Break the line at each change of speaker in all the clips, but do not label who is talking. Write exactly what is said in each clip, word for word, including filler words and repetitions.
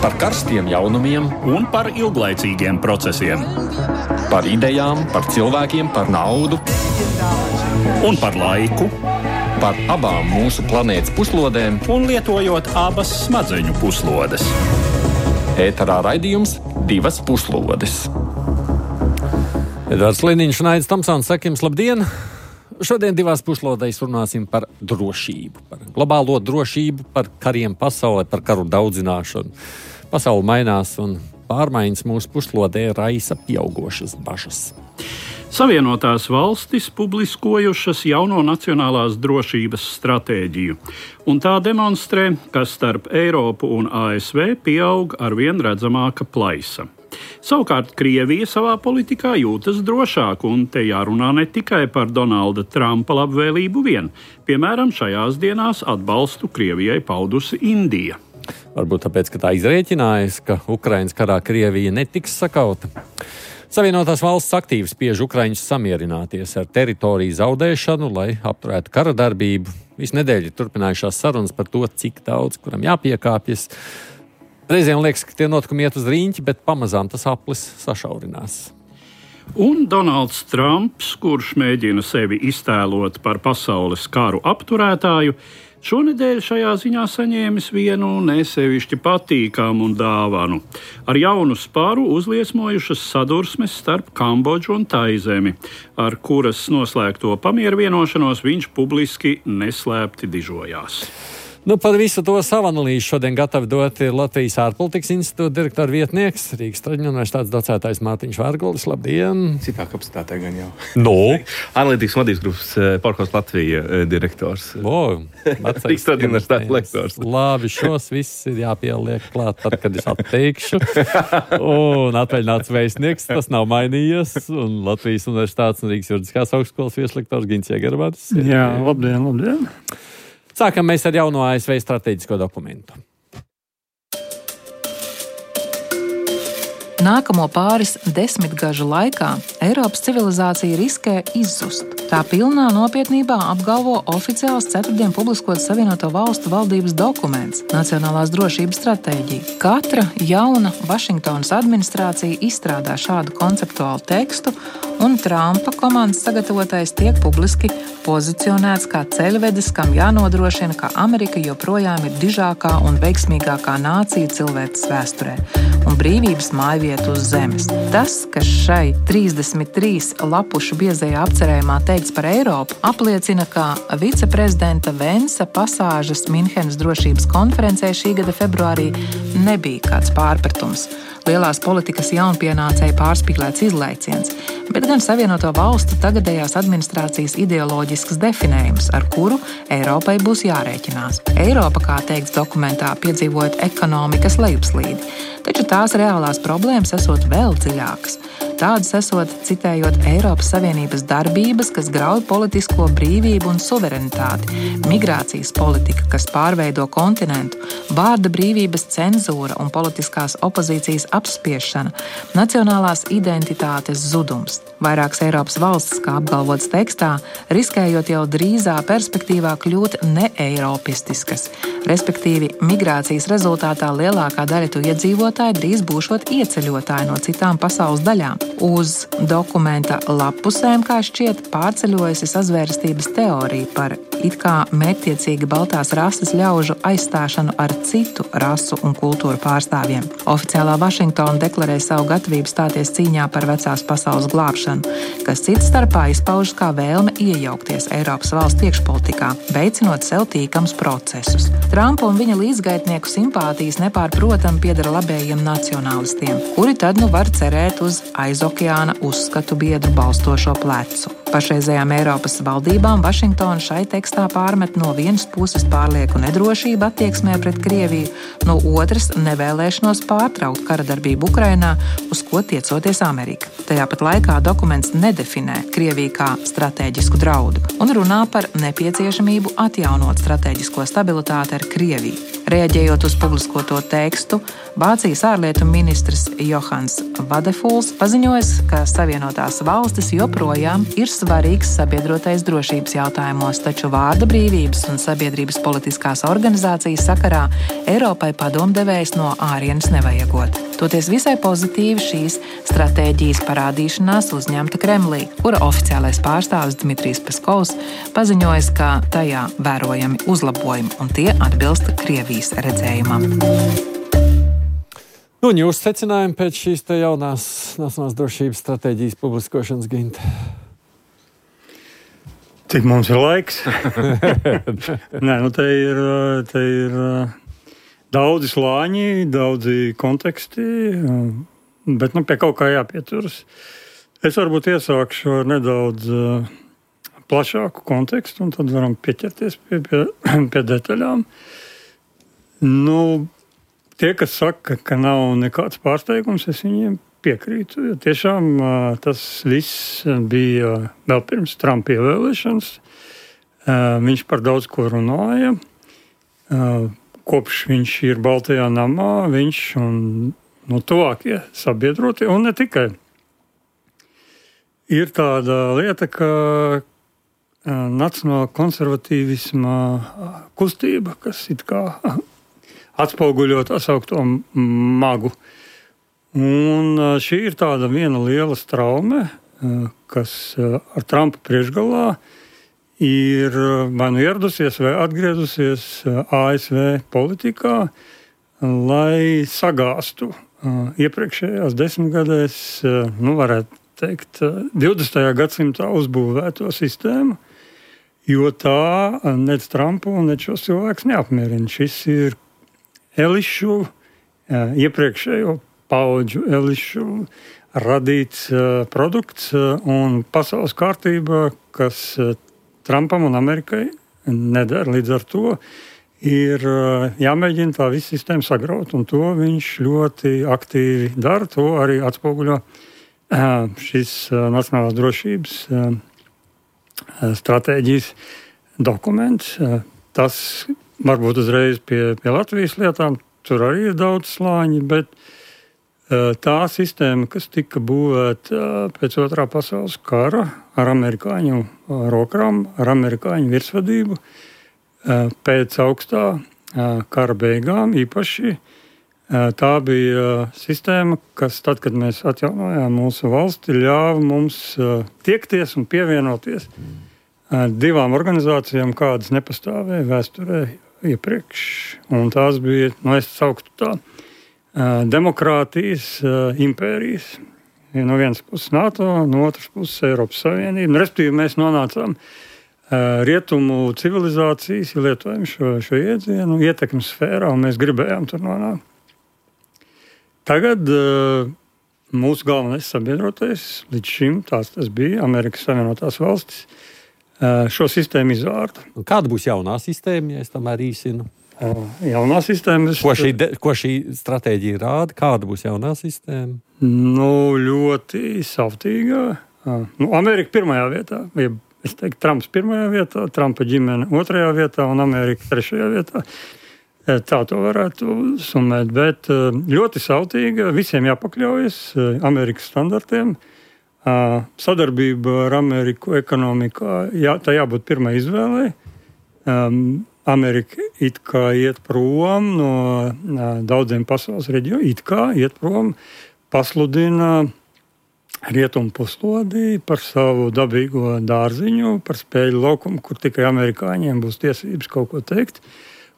Par karstiem jaunumiem
un par ilglaicīgiem procesiem.
Par idejām, par cilvēkiem, par naudu.
Un par laiku.
Par abām mūsu planētas puslodēm.
Un lietojot abas smadzeņu puslodes.
Ēterā raidījums Divas puslodes.
Edvards Liniņš un Aidis Tomsons, saka jums labdien! Šodien divās puslodēs runāsim par drošību, par globālo drošību, par kariem pasaulē, par karu daudzināšanu. Pasaule mainās un pārmaiņas mūsu puslodē raisa pieaugošas bažas.
Savienotās valstis publiskojušas jauno nacionālās drošības stratēģiju, un tā demonstrē, ka starp Eiropu un A S V pieaug arvien redzamāka plaisa. Savukārt Krievija savā politikā jūtas drošāk, un te jārunā ne tikai par Donalda Trumpa labvēlību vien. Piemēram, šajās dienās atbalstu Krievijai paudusi Indija.
Varbūt tāpēc, ka tā izrēķinājas, ka Ukrainas karā Krievija netiks sakauta. Savienotās valsts aktīvi spiež ukraiņus samierināties ar teritoriju zaudēšanu, lai apturētu kara darbību. Visu nedēļu turpinājušās sarunas par to, cik daudz kuram jāpiekāpjas. Reizēm liekas, ka tie notikumi iet uz rīņķi, bet pamazām tas aplis sašaurinās.
Un Donalds Trumps, kurš mēģina sevi iztēlot par pasaules karu apturētāju, šonedēļ šajā ziņā saņēmis vienu nesevišķi patīkamu dāvanu. Ar jaunu spāru uzliesmojušas sadursmes starp Kambodžu un Taizemi, ar kuras noslēgto pamieru vienošanos viņš publiski neslēpti dižojās.
Nu, par visu to savu analīzi šodien gatavi dot Latvijas ārpolitikas institūta direktora vietnieks, Rīgas Traģiņu universitātes docētājs Mārtiņš Vērgulis. Labdien!
Citā kapacitātē gan jau.
No?
Analītikas vadības grupas Porkos Latvija direktors.
O,
Rīgas Traģiņu universitātes lektors.
Labi, šos viss ir jāpieliek klāt, tad, kad es atteikšu. Un atvaļināts vēstnieks, tas nav mainījies. Un Latvijas universitātes un Rīgas juridiskās augstskolas vieslektors Gins Jegermanis.
Jā, labdien, labdien!
Sākam mēs ar jauno A S V strateģisko dokumentu.
Nākamo pāris desmitgažu laikā Eiropas civilizācija riskē izzust. Tā pilnā nopietnībā apgalvo oficiāls ceturtdien publiskots Savienoto Valstu valdības dokuments – Nacionālās drošības stratēģija. Katra jauna Vašingtonas administrācija izstrādā šādu konceptuālu tekstu, un Trumpa komandas sagatavotais tiek publiski pozicionēts kā ceļvedis, kam jānodrošina, ka Amerika joprojām ir dižākā un veiksmīgākā nācija cilvēces vēsturē un brīvības mājvieta uz zemes. Tas, kas šai trīsdesmit trīs lapušu biezajā apcerējumā teikts par Eiropu, apliecina, ka viceprezidenta Vensa pasāžas Minhenes drošības konferencē šī gada februārī nebija kāds pārpratums. Lielās politikas jaunpienācēja pārspīlēts izlaiciens, bet gan Savienoto Valstu tagadējās administrācijas ideoloģisks definējums, ar kuru Eiropai būs jārēķinās. Eiropa, kā teikts dokumentā, piedzīvojot ekonomikas lejupslīdi, taču tās reālās problēmas esot vēl dziļākas. Tādas esot, citējot Eiropas Savienības darbības, kas grauj politisko brīvību un suverenitāti, migrācijas politika, kas pārveido kontinentu, vārda brīvības cenzūra un politiskās opozīcijas apspiešana, nacionālās identitātes zudums. Vairākas Eiropas valstis, kā apgalvots tekstā, riskējot jau drīzā perspektīvā kļūt neeiropistiskas, respektīvi migrācijas rezultātā lielākā daļa to iedzīvotāji drīz būšot ieceļotāji no citām pasaules daļām. Uz dokumenta lappusēm, kā šķiet, pārceļojusi sazvērstības teorija par it kā mērķtiecīgi baltās rases ļaužu aizstāšanu ar citu rasu un kultūru pārstāvjiem. Oficiālā Vašingtona deklarē savu gatavību stāties cīņā par vecās pasaules glābšanu, kas cits starpā izpaužas kā vēlme iejaukties Eiropas valstu iekšpolitikā, veicinot sev tīkams procesus. Trumpa un viņa līdzgaitnieku simpātijas nepārprotam piedara labējiem nacionālistiem, kuri tad nu var cerēt uz aizokeāna uzskatu biedru balstošo plecu. Pašreizējām Eiropas valdībām Vašingtona šai tekstā pārmet no vienas puses pārlieku nedrošību attieksmē pret Krieviju, no otras nevēlēšanos pārtraukt kara darbību Ukrainā, uz ko tiecoties Amerika. Tajā pat laikā dokuments nedefinē Krieviju kā stratēģisku draudu un runā par nepieciešamību atjaunot stratēģisko stabilitāti ar Krieviju. Reaģējot uz publiskoto tekstu, Vācijas ārlietu ministrs Johans Vadefuls paziņoja, ka Savienotās valstis joprojām ir svarīgs sabiedrotais drošības jautājumos, taču vārda brīvības un sabiedrības politiskās organizācijas sakarā Eiropai padomdevējs no ārienes nevajagot. Toties visai pozitīvi šīs stratēģijas parādīšanās uzņemta Kremlī, kura oficiālais pārstāvis Dmitrijs Peskovs paziņoja, ka tajā vērojami uzlabojumi un tie atbilst Krievijas redzējumam.
Nu, un jūs secinājumi pēc šīs te jaunās nacionālās drošības stratēģijas publiskošanas, Ginta?
Cik mums ir laiks? Nē, nu te ir, te ir daudzi slāņi, daudzi konteksti, bet nu, pie kaut kā jāpieturas. Es varbūt iesākšu ar nedaudz plašāku kontekstu, un tad varam pieķerties pie, pie, pie detaļām. Nu, tie, kas saka, ka nav nekāds pārsteigums, es viņiem piekrītu. Jo tiešām tas viss bija vēl pirms Trumpa ievēlēšanas. Viņš par daudz ko runāja. Kopš viņš ir Baltajā namā, viņš un no tuvākie sabiedrotie, un ne tikai. Ir tāda lieta, ka nacionāla konservatīvisma kustība, kas it kā atspoguļo tā saukto magu. Un šī ir tāda viena liela straume, kas ar Trumpa priekšgalā ir vai nu ieradusies vai atgriezusies A S V politikā, lai sagāstu iepriekšējās desmitgadēs, nu varētu teikt, divdesmitajā gadsimtā uzbūvēto sistēmu, jo tā nec Trumpu un nec šos cilvēkus neapmierina. Šis ir elišu, iepriekšējo paudžu elišu radīts produkts un pasaules kārtība, kas Trumpam un Amerikai nedara. Līdz ar to ir jāmēģina tā visa sistēma sagraut, un to viņš ļoti aktīvi dara. To arī atspoguļo šis nacionālās drošības stratēģijas dokuments. Tas varbūt uzreiz pie, pie Latvijas lietām, tur arī ir daudz slāņi, bet tā sistēma, kas tika būvēta pēc otrā pasaules kara ar amerikāņu rokām, ar amerikāņu virsvadību, pēc augstā kara beigām īpaši, tā bija sistēma, kas tad, kad mēs atjaunojām mūsu valsti, ļāva mums tiekties un pievienoties divām organizācijām, kādas nepastāvēja vēsturē iepriekš. Un tās bija, nu es sauktu tā, demokrātijas impērijas. No vienas puses NATO, no otras puses Eiropas Savienība. Respektīvi mēs nonācām rietumu civilizācijas, ja lietojam šo, šo iedzienu, ietekmes sfērā, un mēs gribējām tur nonākt. Tagad mūsu galvenais sabiedrotais, līdz šim tās tas bija Amerikas Savienotās valstis, šo sistēmu izvārda.
Kāda būs jaunā sistēma, ja es tomēr īsinu?
Jaunā sistēma...
Ko šī, de, ko šī stratēģija rāda? Kāda būs jaunā sistēma?
Nu, ļoti savtīgā. Nu, Amerika pirmajā vietā. Es teiktu, Trumps pirmajā vietā, Trumpa ģimene otrajā vietā un Amerika trešajā vietā. Tā to varētu summēt. Bet ļoti savtīga, visiem jāpakļaujas Amerikas standartiem. Sadarbība ar Ameriku ekonomikā, jā, tā jābūt pirmai izvēlei. Amerika it kā iet prom no daudziem pasaules reģioniem, it kā iet prom, pasludina rietumu puslodī par savu dabīgo dārziņu, par spēļu laukumu, kur tikai amerikāņiem būs tiesības kaut ko teikt,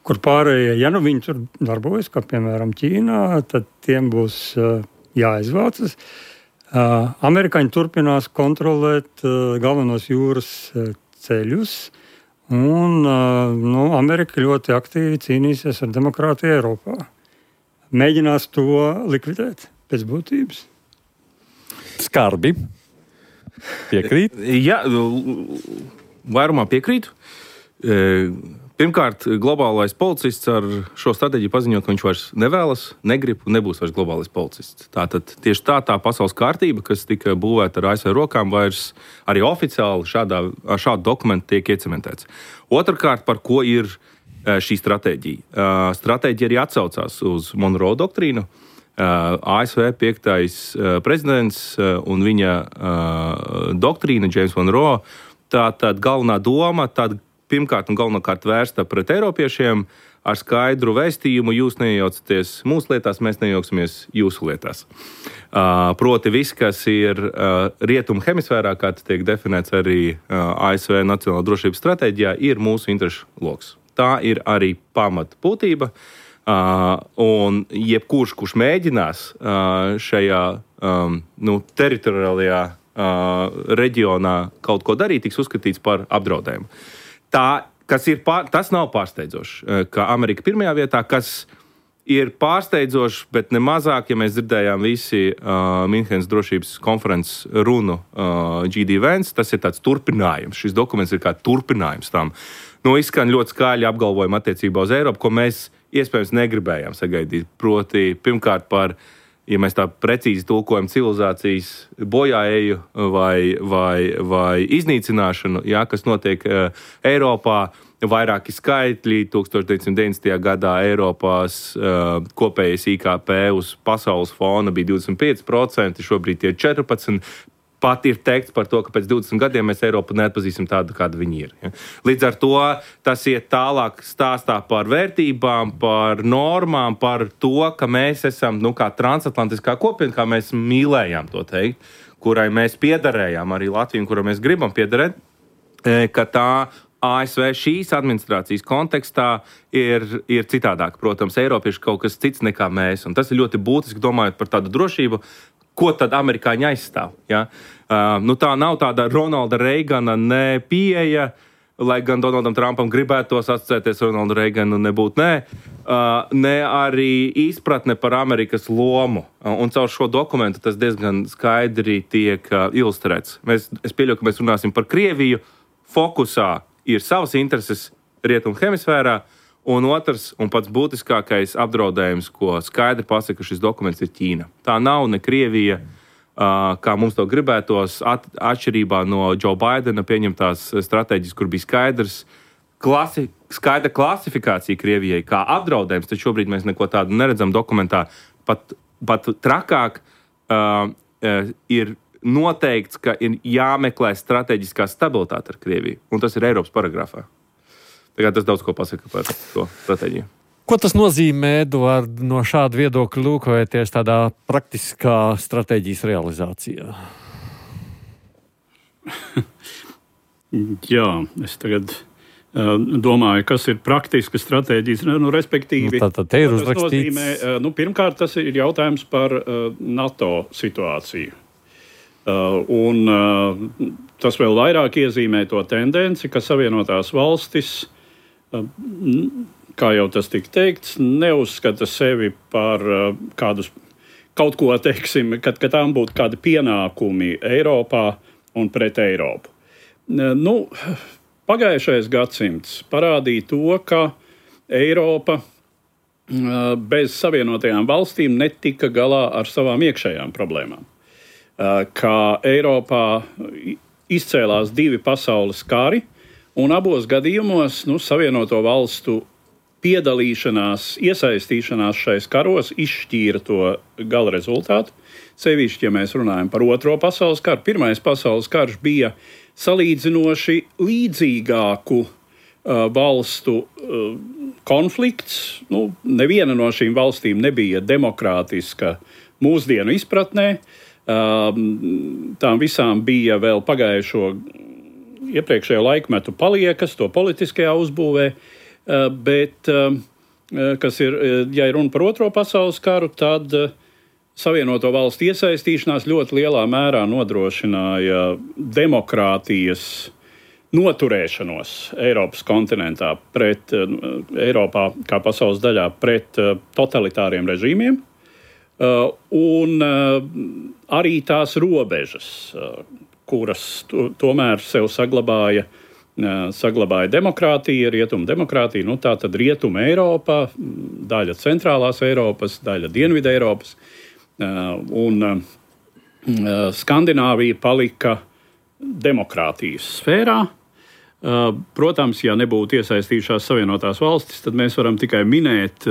kur pārējie, ja nu viņi tur darbojas, kā piemēram Ķīnā, tad tiem būs jāizvācas. Amerikāņi turpinās kontrolēt galvenos jūras ceļus, un nu, Amerika ļoti aktīvi cīnīsies ar demokrātiju Eiropā. Mēģinās to likvidēt pēc būtības.
Skarbi. Piekrīt?
Jā, vairumā piekrītu. Pirmkārt, globālais policists ar šo stratēģiju paziņot, ka viņš vairs nevēlas, negrib un nebūs vairs globālais policists. Tātad tieši tā tā pasaules kārtība, kas tika būvēta ar A S V rokām, vairs arī oficiāli šādā, ar šādu dokumentu tiek iecementēts. Otrakārt, par ko ir šī stratēģija. Stratēģija arī atsaucās uz Monroe doktrīnu. A S V piektais prezidents un viņa doktrīna, James Monroe, tā tad galvenā doma, tad pirmkārt un galvenokārt vērsta pret eiropiešiem ar skaidru vēstījumu: jūs neiejaucaties mūsu lietās, mēs nejauksimies jūsu lietās. Proti viss, kas ir rietumu hemisfērā, kā tas tiek definēts arī A S V Nacionālā drošības stratēģijā, ir mūsu interešu loks. Tā ir arī pamata būtība. Uh, un jebkurš, kurš mēģinās uh, šajā um, nu, teritoriālajā uh, reģionā kaut ko darīt, tiks uzskatīts par apdraudējumu. Tā, kas ir pār, tas nav pārsteidzoši, uh, ka Amerika pirmajā vietā, kas ir pārsteidzoši, bet ne mazāk, ja mēs dzirdējām visi uh, Minhenes drošības konferences runu uh, G D Vance, tas ir tāds turpinājums. Šis dokuments ir kā turpinājums tam. Nu, izskan ļoti skaļi apgalvojumi attiecībā uz Eiropu, ko mēs iespējams negribējām sagaidīt. Proti, pirmkārt par, ja mēs tā precīzi tulkojam, civilizācijas bojāeju vai, vai, vai iznīcināšanu, jā, kas notiek uh, Eiropā. Vairāki skaitļi. deviņdesmit deviņdesmitajā gadā Eiropās uh, kopējais I K P uz pasaules fona bija divdesmit pieci procenti, šobrīd tie ir četrpadsmit procenti. Pat ir teikts par to, ka pēc divdesmit gadiem mēs Eiropu neatpazīsim tādu, kāda viņi ir. Ja? Līdz ar to tas iet tālāk stāstā par vērtībām, par normām, par to, ka mēs esam, nu, kā transatlantiskā kopiena, kā mēs mīlējām to teikt, kurai mēs piederējām, arī Latviju, kurai mēs gribam piederēt, ka tā A S V šīs administrācijas kontekstā ir, ir citādāk. Protams, Eiropieši kaut kas cits nekā mēs, un tas ir ļoti būtiski domājot par tādu drošību. Ko tad amerikāņi aizstāv? Ja? Uh, nu tā nav tāda Ronalda Reigana ne pieeja, lai gan Donaldam Trumpam gribētos asociēties ar Ronaldu Reiganu, nebūt nē, uh, ne arī izpratne par Amerikas lomu. Uh, un caur šo dokumentu tas diezgan skaidri tiek uh, ilustrēts. Mēs, es pieļauju, ka mēs runāsim par Krieviju. Fokusā ir savas intereses rietumu hemisfērā, un otrs, un pats būtiskākais apdraudējums, ko skaidri pasaka šis dokuments, ir Ķīna. Tā nav ne Krievija, kā mums to gribētos, at, atšķirībā no Joe Bidena pieņemtās stratēģijas, kur bija skaidrs, klasi, skaidra klasifikācija Krievijai kā apdraudējums, tad šobrīd mēs neko tādu neredzam dokumentā. Pat, pat trakāk uh, ir noteikts, ka ir jāmeklē strateģiskā stabilitāte ar Krieviju, un tas ir Eiropas paragrafā. Tagad tas daudz ko pasaka par to stratēģiju.
Ko tas nozīmē, Eduard, no šāda viedokļa lūkojoties tādā praktiskā stratēģijas realizācijā?
Jā, es tagad uh, domāju, kas ir praktiska stratēģijas, nu, respektīvi.
Nu, tātad te ir uzrakstīts.
Nozīmē, uh, nu, pirmkārt, tas ir jautājums par uh, NATO situāciju. Uh, un uh, tas vēl vairāk iezīmē to tendenci, ka Savienotās valstis, uh, kā jau tas tika teikts, neuzskata sevi par uh, kādus, kaut ko, teiksim, kad, kad tām būtu kādi pienākumi Eiropā un pret Eiropu. Uh, nu, pagājušais gadsimts parādīja to, ka Eiropa uh, bez Savienotajām valstīm netika galā ar savām iekšējām problēmām. Ka Eiropā izcēlās divi pasaules kari, un abos gadījumos nu, Savienoto valstu piedalīšanās, iesaistīšanās šais karos izšķīra to gala rezultātu. Sevišķi, ja mēs runājam par otro pasaules karu, pirmais pasaules karš bija salīdzinoši līdzīgāku uh, valstu uh, konflikts. Nu, neviena no šīm valstīm nebija demokrātiska mūsdienu izpratnē. Tām visām bija vēl pagājušo iepriekšējo laikmetu paliekas, to politiskajā uzbūvē, bet, kas ir, ja ir runa par otro pasaules karu, tad Savienoto valstu iesaistīšanās ļoti lielā mērā nodrošināja demokrātijas noturēšanos Eiropas kontinentā pret, Eiropā kā pasaules daļā pret totalitāriem režīmiem. Uh, un uh, arī tās robežas, uh, kuras to, tomēr sev saglabāja, uh, saglabāja demokrātija, rietumu demokrātija, nu tā tad rietumu Eiropā, daļa centrālās Eiropas, daļa dienvidu Eiropas, uh, un uh, Skandināvija palika demokrātijas sfērā, Protams, ja nebūtu iesaistījušās Savienotās valstis, tad mēs varam tikai minēt,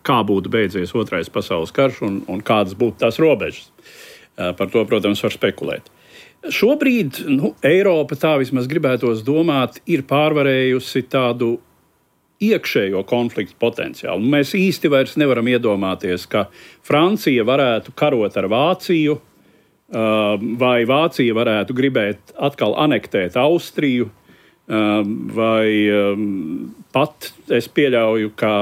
kā būtu beidzies Otrais pasaules karš un, un kādas būtu tās robežas. Par to, protams, var spekulēt. Šobrīd nu, Eiropa, tā vismaz gribētos domāt, ir pārvarējusi tādu iekšējo konfliktu potenciālu. Mēs īsti vairs nevaram iedomāties, ka Francija varētu karot ar Vāciju, vai Vācija varētu gribēt atkal anektēt Austriju, vai pat es pieļauju, ka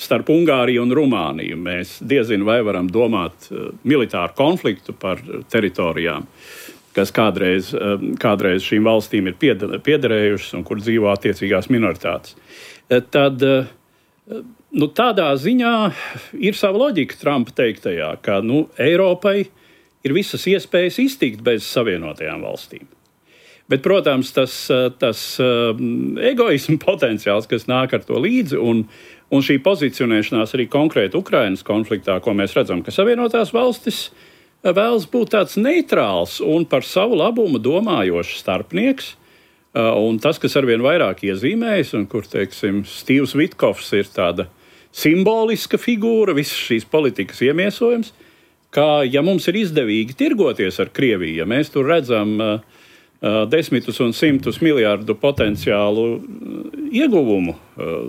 starp Ungāriju un Rumāniju mēs diezin vai varam domāt militāru konfliktu par teritorijām, kas kādreiz, kādreiz šīm valstīm ir piederējušas un kur dzīvo attiecīgās minoritātes. Tad nu, tādā ziņā ir sava loģika Trumpa teiktajā, ka nu, Eiropai ir visas iespējas iztikt bez Savienotajām valstīm. Bet, protams, tas, tas egoisma potenciāls, kas nāk ar to līdzi, un, un šī pozicionēšanās arī konkrēti Ukrainas konfliktā, ko mēs redzam, ka Savienotās valstis vēlas būt tāds neitrāls un par savu labumu domājošs starpnieks. Un tas, kas arvien vairāk iezīmējas, un kur, teiksim, Stīvs Vitkovs ir tāda simboliska figūra, visas šīs politikas iemiesojums, ka, ja mums ir izdevīgi tirgoties ar Krieviju, ja mēs tur redzam uh, uh, desmitus un simtus miljārdu potenciālu uh, ieguvumu, uh,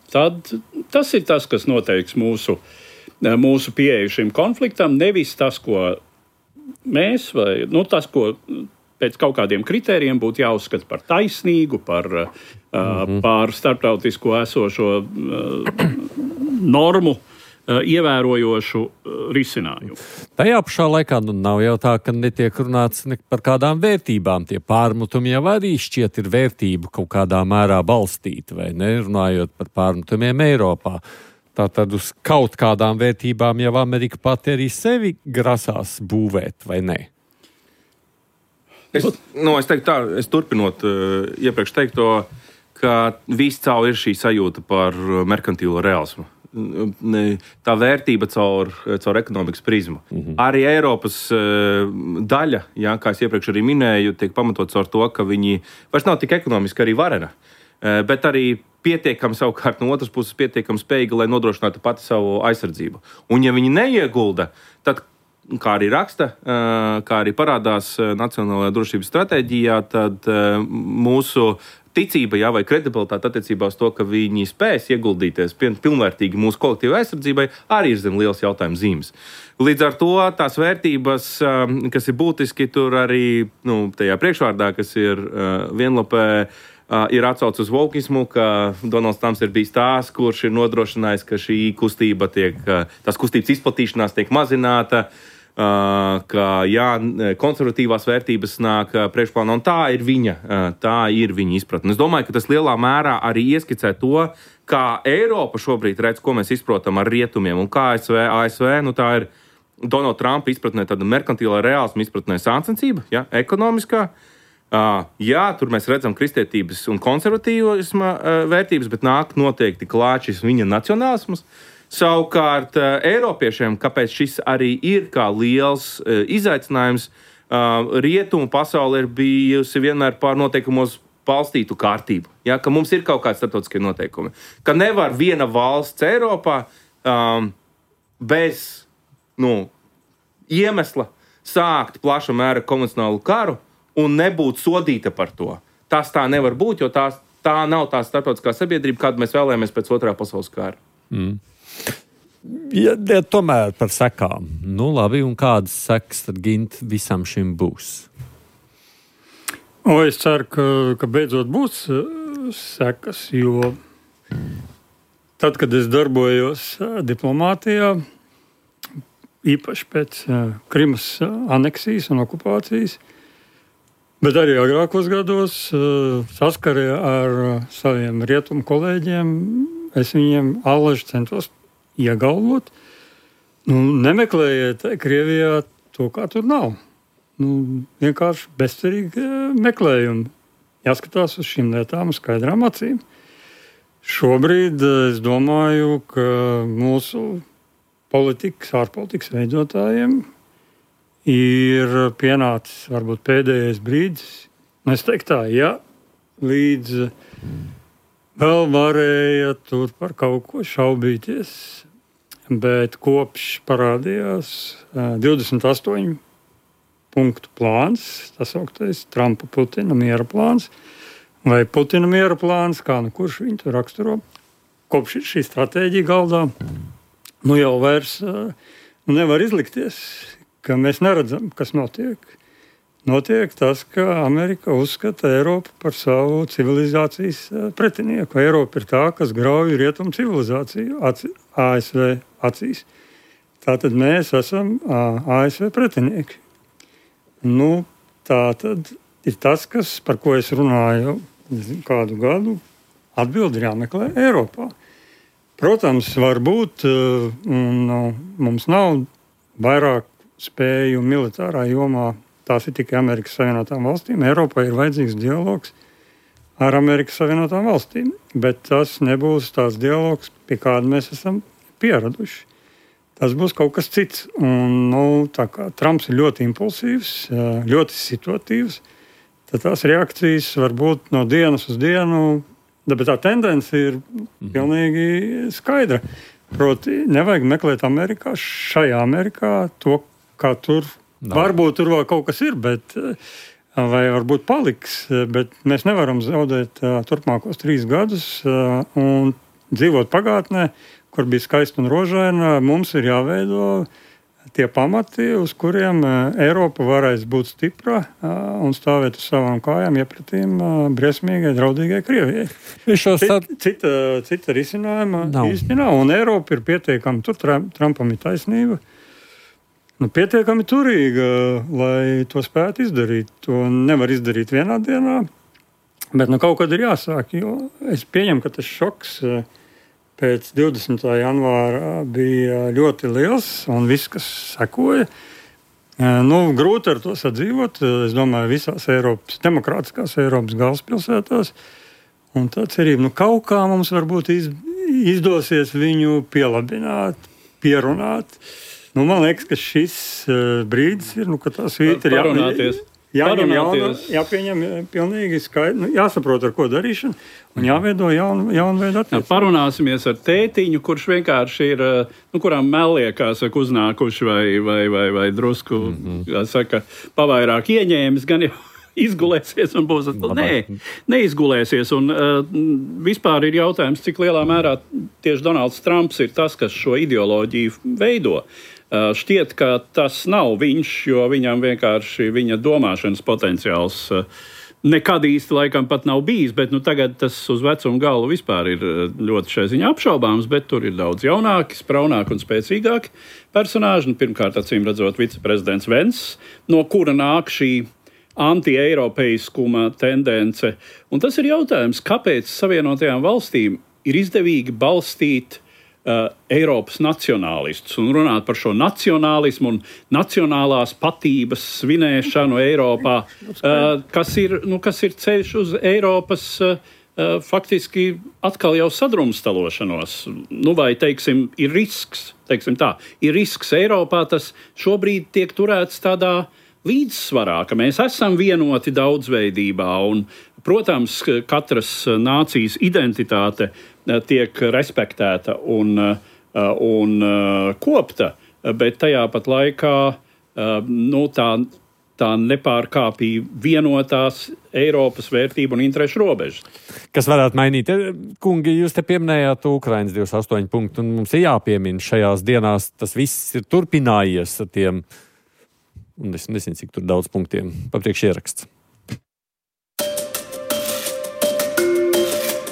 tad tas ir tas, kas noteiks mūsu, uh, mūsu pieeju šim konfliktam, nevis tas, ko mēs, vai nu, tas, ko pēc kaut kādiem kritērijiem būtu jāuzskata par taisnīgu, par, uh, mm-hmm. par starptautisko esošo uh, normu ievērojošu risinājumu.
Tajā pašā laikā nu, nav jau tā, ka netiek runāts ne par kādām vērtībām. Tie pārmutumi jau arī šķiet ir vērtību kaut kādā mērā balstīti, vai ne? Runājot par pārmutumiem Eiropā. Tātad uz kaut kādām vērtībām jau Amerika pati arī sevi grasās būvēt, vai ne?
Es, no, es teiktu tā, es turpinot uh, iepriekš teikto, ka viscaur ir šī sajūta par merkantīlo realismu. Tā vērtība caur, caur ekonomikas prizmu. Mm-hmm. Arī Eiropas uh, daļa, jā, kā es iepriekš arī minēju, tiek pamatots ar to, ka viņi vairs nav tik ekonomiski arī varena, uh, bet arī pietiekami savukārt no otras puses pietiekami spējīga, lai nodrošinātu pati savu aizsardzību. Un ja viņi neiegulda, tad, kā arī raksta, uh, kā arī parādās uh, Nacionālajā drošības stratēģijā, tad uh, mūsu ticība, jā, vai kredibilitāte attiecībā uz to, ka viņi spēs ieguldīties pilnvērtīgi mūsu kolektīvai aizsardzībai, arī ir zem liels jautājums zīmes. Līdz ar to tās vērtības, kas ir būtiski, tur arī nu, tajā priekšvārdā, kas ir vienlapē, ir atsauce uz volkismu, ka Donalds Trumps ir bijis tās, kurš ir nodrošinājis, ka šī kustība tiek, tās kustības izplatīšanās tiek mazināta, ka jā, konservatīvās vērtības nāk priekšplānā, un tā ir viņa, tā ir viņa izpratne. Es domāju, ka tas lielā mērā arī ieskicē to, kā Eiropa šobrīd redz, ko mēs izprotam ar rietumiem, un kā A S V, A S V, nu tā ir Donalda Trumpa izpratnē tāda merkantīlā reālisma izpratnē sāncensība, ja, ekonomiskā. Jā, tur mēs redzam kristietības un konservatīvisma vērtības, bet nāk noteikti klāt šis viņa nacionālisms. Savukārt, Eiropiešiem, kāpēc šis arī ir kā liels uh, izaicinājums, uh, rietumu pasaule ir bijusi vienmēr pār noteikumos balstītu kārtību. Ja, ka mums ir kaut kādi starptautiskie noteikumi. Ka nevar viena valsts Eiropā um, bez nu, iemesla sākt plaša mēra konvencionālu karu un nebūt sodīta par to. Tas tā nevar būt, jo tās, tā nav tā starptautiskā sabiedrība, kādu mēs vēlējāmies pēc otrā pasaules kara.
Mm. Ja, ja tomēr par sekām. Nu, labi, un kādas sekas tad Gint visam šim būs?
O, es ceru, ka, ka beidzot būs sekas, jo tad, kad es darbojos diplomātijā, īpaši pēc Krimas aneksijas un okupācijas, bet arī agrākos gados saskarē ar saviem rietumu kolēģiem, es viņiem allaži centos iegalvot. Nu, nemeklējiet Krievijā to, kā tur nav. Nu, vienkārši bezcerīgi meklējumi. Jāskatās uz šīm lietām skaidrām acīm. Šobrīd es domāju, ka mūsu politikas, ārpolitikas veidotājiem ir pienācis varbūt pēdējais brīdis. Es teiktu tā, ja līdz vēl varēja tur par kaut ko šaubīties. Bet kopš parādījās divdesmit astoņu punktu plāns, tas augtais Trumpa Putina miera plāns, vai Putina miera plāns, kā nu kurš viņu tur raksturo, kopš šī stratēģija galdā, nu jau vairs nu nevar izlikties, ka mēs neredzam, kas notiek. Notiek tas, ka Amerika uzskata Eiropu par savu civilizācijas pretinieku. Eiropa ir tā, kas grauj rietumu civilizāciju A S V acīs. Tātad mēs esam A S V pretinieki. Nu, tā tad ir tas, kas, par ko es runāju kādu gadu, atbildi ir jāmeklē Eiropā. Protams, varbūt un, mums nav vairāk spēju militārā jomā, tās ir tikai Amerikas Savienotām valstīm. Eiropā ir vajadzīgs dialogs ar Amerikas Savienotām valstīm, bet tas nebūs tās dialogs, pie kāda mēs esam pieraduši. Tas būs kaut kas cits. Un, nu, tā kā Trumps ir ļoti impulsīvs, ļoti situatīvs, tad tās reakcijas var būt no dienas uz dienu, bet tā tendence ir pilnīgi skaidra. Proti, nevajag meklēt Amerikā, šajā Amerikā to, kā tur, no. varbūt tur vēl kaut kas ir, bet, vai varbūt paliks, bet mēs nevaram zaudēt turpmākos trīs gadus un dzīvot pagātnē, kur bija skaista un rožaina. Mums ir jāveido tie pamati, uz kuriem Eiropa varēs būt stipra un stāvēt uz savām kājām iepratīm briesmīgai, draudīgai Krievijai. Cita, cita, cita risinājuma nav. Īsti nav. Un Eiropa ir pietiekami, tur Trumpam ir taisnība, nu, pietiekami turīga, lai to spētu izdarīt. To nevar izdarīt vienā dienā, bet nu, kaut kad ir jāsāk, jo es pieņemu, ka tas šoks pēc divdesmitā janvāra bija ļoti liels, un viss, kas sekoja, nu, grūti ar to sadzīvot. Es domāju, visās Eiropas, demokrātiskās Eiropas galvaspilsētās. Un tā cerība, nu, kaut kā mums varbūt iz, izdosies viņu pielabināt, pierunāt. Nu, man liekas, ka šis brīdis ir, nu, ka tā svīta ir jāpieņem. Jāņem jaunu, jāpieņem pilnīgi skaidri, nu, jāsaprot, ar ko darīšana, un jāveido jaunu, jaunu veidu attiecību.
Parunāsimies ar tētiņu, kurš vienkārši ir, nu, kurām meliekās uznākuši vai, vai, vai, vai drusku, mm-hmm. kā saka, pavairāk ieņēmis, gan jau izgulēsies un būs, nē, neizgulēsies. Un uh, vispār ir jautājums, cik lielā mērā tieši Donalds Trumps ir tas, kas šo ideoloģiju veido. Uh, šķiet, ka tas nav viņš, jo viņam vienkārši viņa domāšanas potenciāls uh, nekad īsti laikam pat nav bijis, bet nu, tagad tas uz vecumu galvu vispār ir ļoti šai ziņā apšaubāms, bet tur ir daudz jaunāki, spraunāki un spēcīgāki personāži. Nu, pirmkārt, acīm redzot, viceprezidents Vents, no kura nāk šī anti-eiropeiskuma tendence. Un tas ir jautājums, kāpēc Savienotajām valstīm ir izdevīgi balstīt Uh, Eiropas nacionālistus un runāt par šo nacionālismu un nacionālās patības svinēšanu Eiropā, uh, kas ir, nu, kas ir ceļš uz Eiropas uh, uh, faktiski atkal jau sadrumstalošanos. Nu, vai, teiksim, ir risks, teiksim tā, ir risks Eiropā, tas šobrīd tiek turēts tādā līdzsvarā, ka mēs esam vienoti daudzveidībā un, protams, katras nācijas identitāte tiek respektēta un, un kopta, bet tajā pat laikā nu, tā, tā nepārkāpja vienotās Eiropas vērtību un interešu robežas.
Kas varētu mainīt? Kungi, jūs te pieminējāt Ukrainas divdesmit astoņi punktu, un mums ir jāpiemina šajās dienās, tas viss ir turpinājies ar tiem, un es nezinu, cik tur daudz punktiem papriekš ieraksts.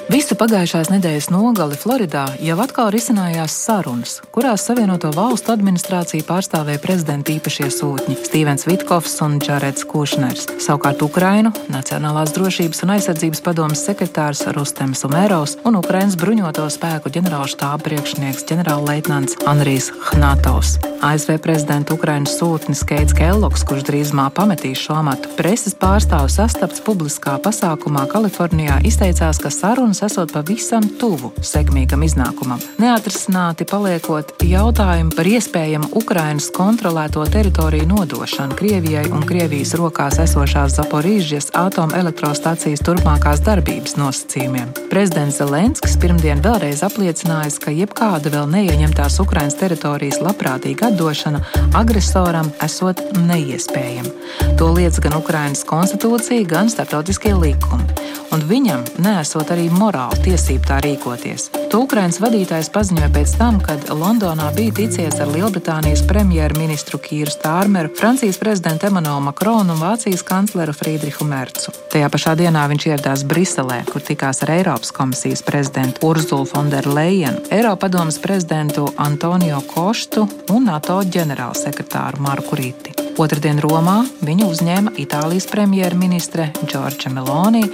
Visu pagājušās nedēļas nogali Floridā jau atkal risinājās sarunas, kurās Savienoto valstu administrāciju pārstāvēja prezidenta īpašie sūtņi Stīvens Vitkovs un Džareds Kušners. Savukārt Ukrainu Nacionālās drošības un aizsardzības padomes sekretārs Rustems Umerovs un Ukrainas bruņoto spēku ģenerālštāba priekšnieks ģenerālleitnants Andrijs Hnatovs. A S V prezidenta Ukrainas sūtnis Keits Kellogs, kurš drīzumā pametīs šo amatu, preses pārstāvu sastapts publiskā pasākumā Kalifornijā, izteicās, ka sarunas esot esot pavisam tuvu sekmīgam iznākumam, neatrisināti paliekot jautājumi par iespējamu Ukrainas kontrolēto teritoriju nodošanu Krievijai un Krievijas rokās esošās Zaporīžas atomelektrostacijas turpmākās darbības nosacījumiem. Prezidents Zelenskis pirmdien vēlreiz apliecinājis, ka jebkāda vēl neieņemtās Ukrainas teritorijas labprātīga atdošana agresoram esot neiespējama. To liedz gan Ukrainas konstitūcija, gan starptautiskie likumi, un viņam neesot arī morāla tiesība tā rīkoties. To Ukrainas vadītājs paziņoja pēc tam, kad Londonā bija ticies ar Lielbritānijas premjerministru Kīru Stārmeru, Francijas prezidentu Emmanuelu Makronu un Vācijas kancleru Friedrihu Mercu. Tajā pašā dienā viņš ieradās Briselē, kur tikās ar Eiropas komisijas prezidentu Urzulu Fonderu Lejenu, Eiropadomes prezidentu Antonio Koštu un NATO ģenerālsekretāru Marku Riti. Otradien Romā viņu uzņēma Itālijas premjerministre Džordža Meloni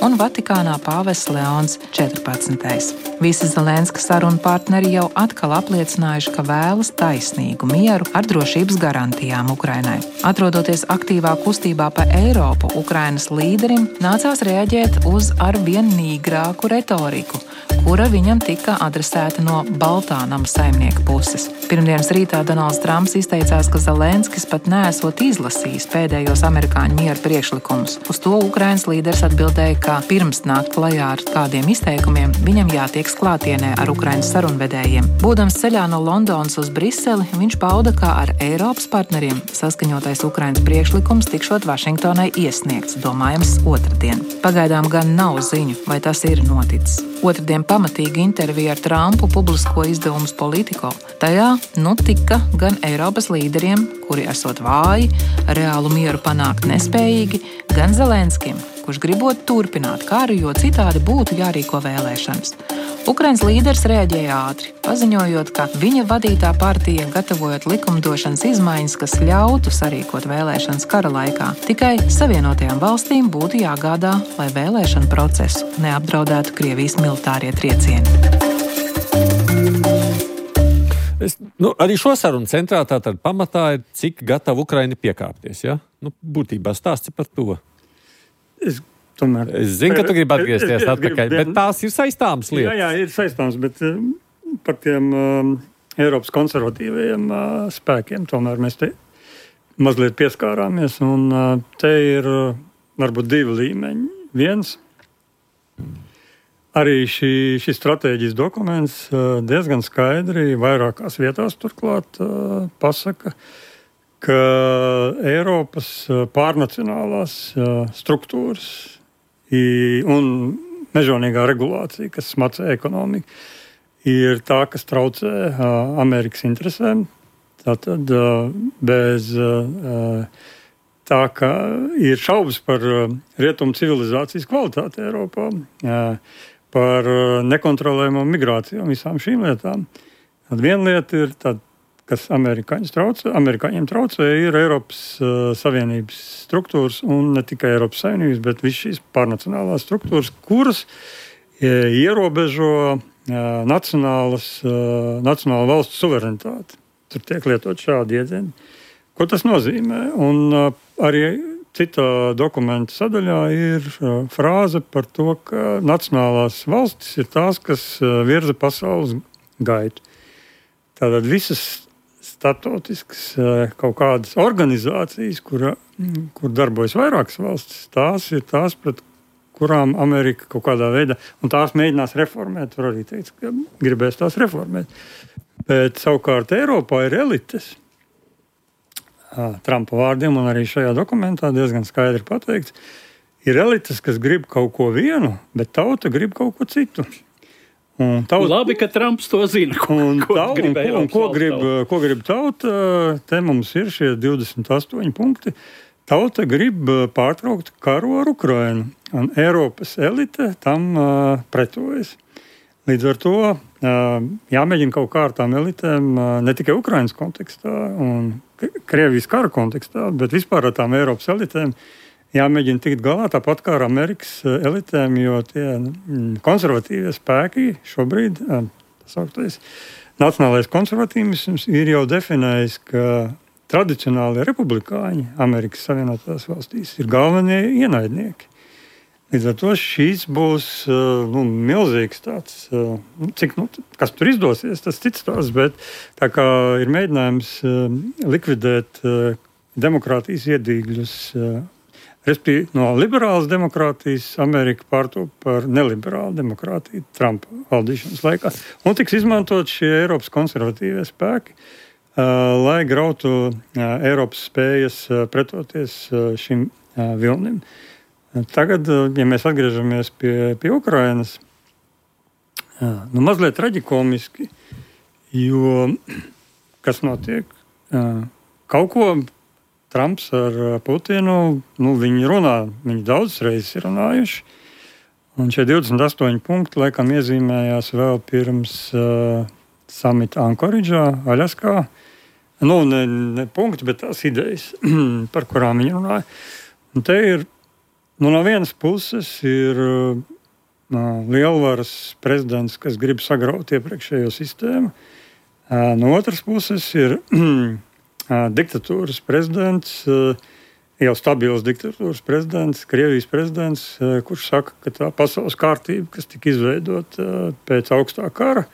un Vatikānā pāvests Leons četrpadsmitais. Visi Zelenska sarunu partneri jau atkal apliecinājuši, ka vēlas taisnīgu mieru ar drošības garantijām Ukrainai. Atrodoties aktīvā kustībā pa Eiropu, Ukrainas līderim nācās reaģēt uz arvien nīgrāku retoriku, kura viņam tika adresēta no Baltā nama saimnieka puses. Pirmdienas rītā Donalds Trumps izteicās, ka Zelenskis pat neesot izlasījis pēdējos amerikāņu miera priekšlikumus. Uz to Ukrainas līderis atbildēja, ka pirms nākt klajā ar kādiem izteikumiem, viņam jātieks klātienē ar Ukrainas sarunvedējiem. Būdams ceļā no Londonas uz Briseli, viņš pauda, ka ar Eiropas partneriem saskaņotais Ukrainas priekšlikums tikšot Vašingtonai iesniegts, domājams, otrdien. Pagaidām gan nav ziņu, vai tas ir noticis. Otrdien pamatīga intervija ar Trumpu publisko izdevumus Politico. Tajā nu tika gan Eiropas līderiem, kuri esot vāji, reālu mieru panākt nespējīgi, gan Zelenskim, kurš gribot turpināt karu, jo citādi būtu jārīko vēlēšanas. Ukrainas līderis reaģēja ātri, paziņojot, ka viņa vadītā partija, gatavojot likumdošanas izmaiņas, kas ļautu sarīkot vēlēšanas kara laikā, tikai Savienotajām valstīm būtu jāgādā, lai vēlēšanu procesu neapdraudētu Krievijas militārie triecieni.
Es, nu, arī šo sarunu centrā tātad pamatā ir, cik gatava Ukraina piekāpties. Ja? Nu, būtībā stāsti par to.
Es, tomēr,
es zinu, ka tu gribi atgriezties es, es, atpakaļ, gribu, bet tās ir saistāmas lietas.
Jā, jā, ir saistāmas, bet uh, par tiem uh, Eiropas konservatīvajiem uh, spēkiem tomēr mēs te mazliet pieskārāmies. Un uh, te ir uh, varbūt divi līmeņi. Viens. Arī šī, šis stratēģijas dokuments uh, diezgan skaidri vairākās vietās turklāt uh, pasaka, ka Eiropas uh, pārnacionālās uh, struktūras i, un mežonīgā regulācija, kas smacē ekonomiku, ir tā, kas traucē uh, Amerikas interesēm. Tātad uh, bez uh, tā, ka ir šaubas par uh, rietumu civilizācijas kvalitāti Eiropā, uh, par nekontrolējumu migrāciju un visām šīm lietām. Tad viena lieta ir, tad, kas traucē, amerikāņiem traucē, ir Eiropas uh, Savienības struktūras, un ne tikai Eiropas Savienības, bet visas šīs pārnacionālās struktūras, kuras e, ierobežo e, nacionālas, e, nacionāla valstu suverenitāti. Tur tiek lietot šādi iedzieni. Ko tas nozīmē? Un e, arī citā dokumenta sadaļā ir frāze par to, ka nacionālās valstis ir tās, kas virza pasaules gaitu. Tātad visas starptautiskas kaut kādas organizācijas, kur, kur darbojas vairākas valstis, tās ir tās, pret kurām Amerika kaut kādā veidā, un tās mēģinās reformēt, var arī teikt, ka gribēs tās reformēt. Bet savukārt Eiropā ir elites. Trumpa vārdiem, un arī šajā dokumentā diezgan skaidri pateikts, ir elites, kas grib kaut ko vienu, bet tauta grib kaut ko citu. Un tauta,
Labi, ka Trumps to zina. Ko,
un,
ko,
tau,
grib,
un, un ko, grib, ko grib tauta? Te mums ir šie divdesmit astoņi punkti. Tauta grib pārtraukt karu ar Ukrainu, un Eiropas elite tam uh, pretojas. Līdz ar to uh, jāmēģina kaut kā ar tām elitēm uh, ne tikai Ukrainas kontekstā un Krievijas kara kontekstā, bet vispār ar tām Eiropas elitēm jāmēģina tikt galā tāpat kā ar Amerikas elitēm, jo tie konservatīvie spēki šobrīd, tas augtais, nacionālais konservatīvisms ir jau definējis, ka tradicionālie republikāņi Amerikas Savienotās valstīs ir galvenie ienaidnieki. Līdz ar to šīs būs nu, milzīgs tāds, cik, nu, kas tur izdosies, tas cits tās, bet tā kā ir mēģinājums likvidēt demokrātijas iedīgļus, respektīvi no liberālas demokrātijas Amerika pārtop par neliberālu demokrātiju Trumpa valdīšanas laikā. Un tiks izmantot šie Eiropas konservatīvie spēki, lai grautu Eiropas spējas pretoties šim vilnim. Tagad, ja mēs atgriežamies pie, pie Ukrainas, nu, mazliet traģikomiski, jo kas notiek? Kaut ko Trumps ar Putinu, nu, viņi runā, viņi daudzas reizes ir runājuši, un šie divdesmit astoņi punkti laikam iezīmējās vēl pirms uh, samita Ankoridžā, Aļaskā. Nu, ne, ne punkti, bet tās idejas, par kurām viņi runāja. Un te ir Nu, no vienas puses ir uh, lielvaras prezidents, kas grib sagraut iepriekšējo sistēmu. Uh, no otras puses ir uh, diktatūras prezidents, uh, jau stabils diktatūras prezidents, Krievijas prezidents, uh, kurš saka, ka tā pasaules kārtība, kas tika izveidota uh, pēc augstā kara,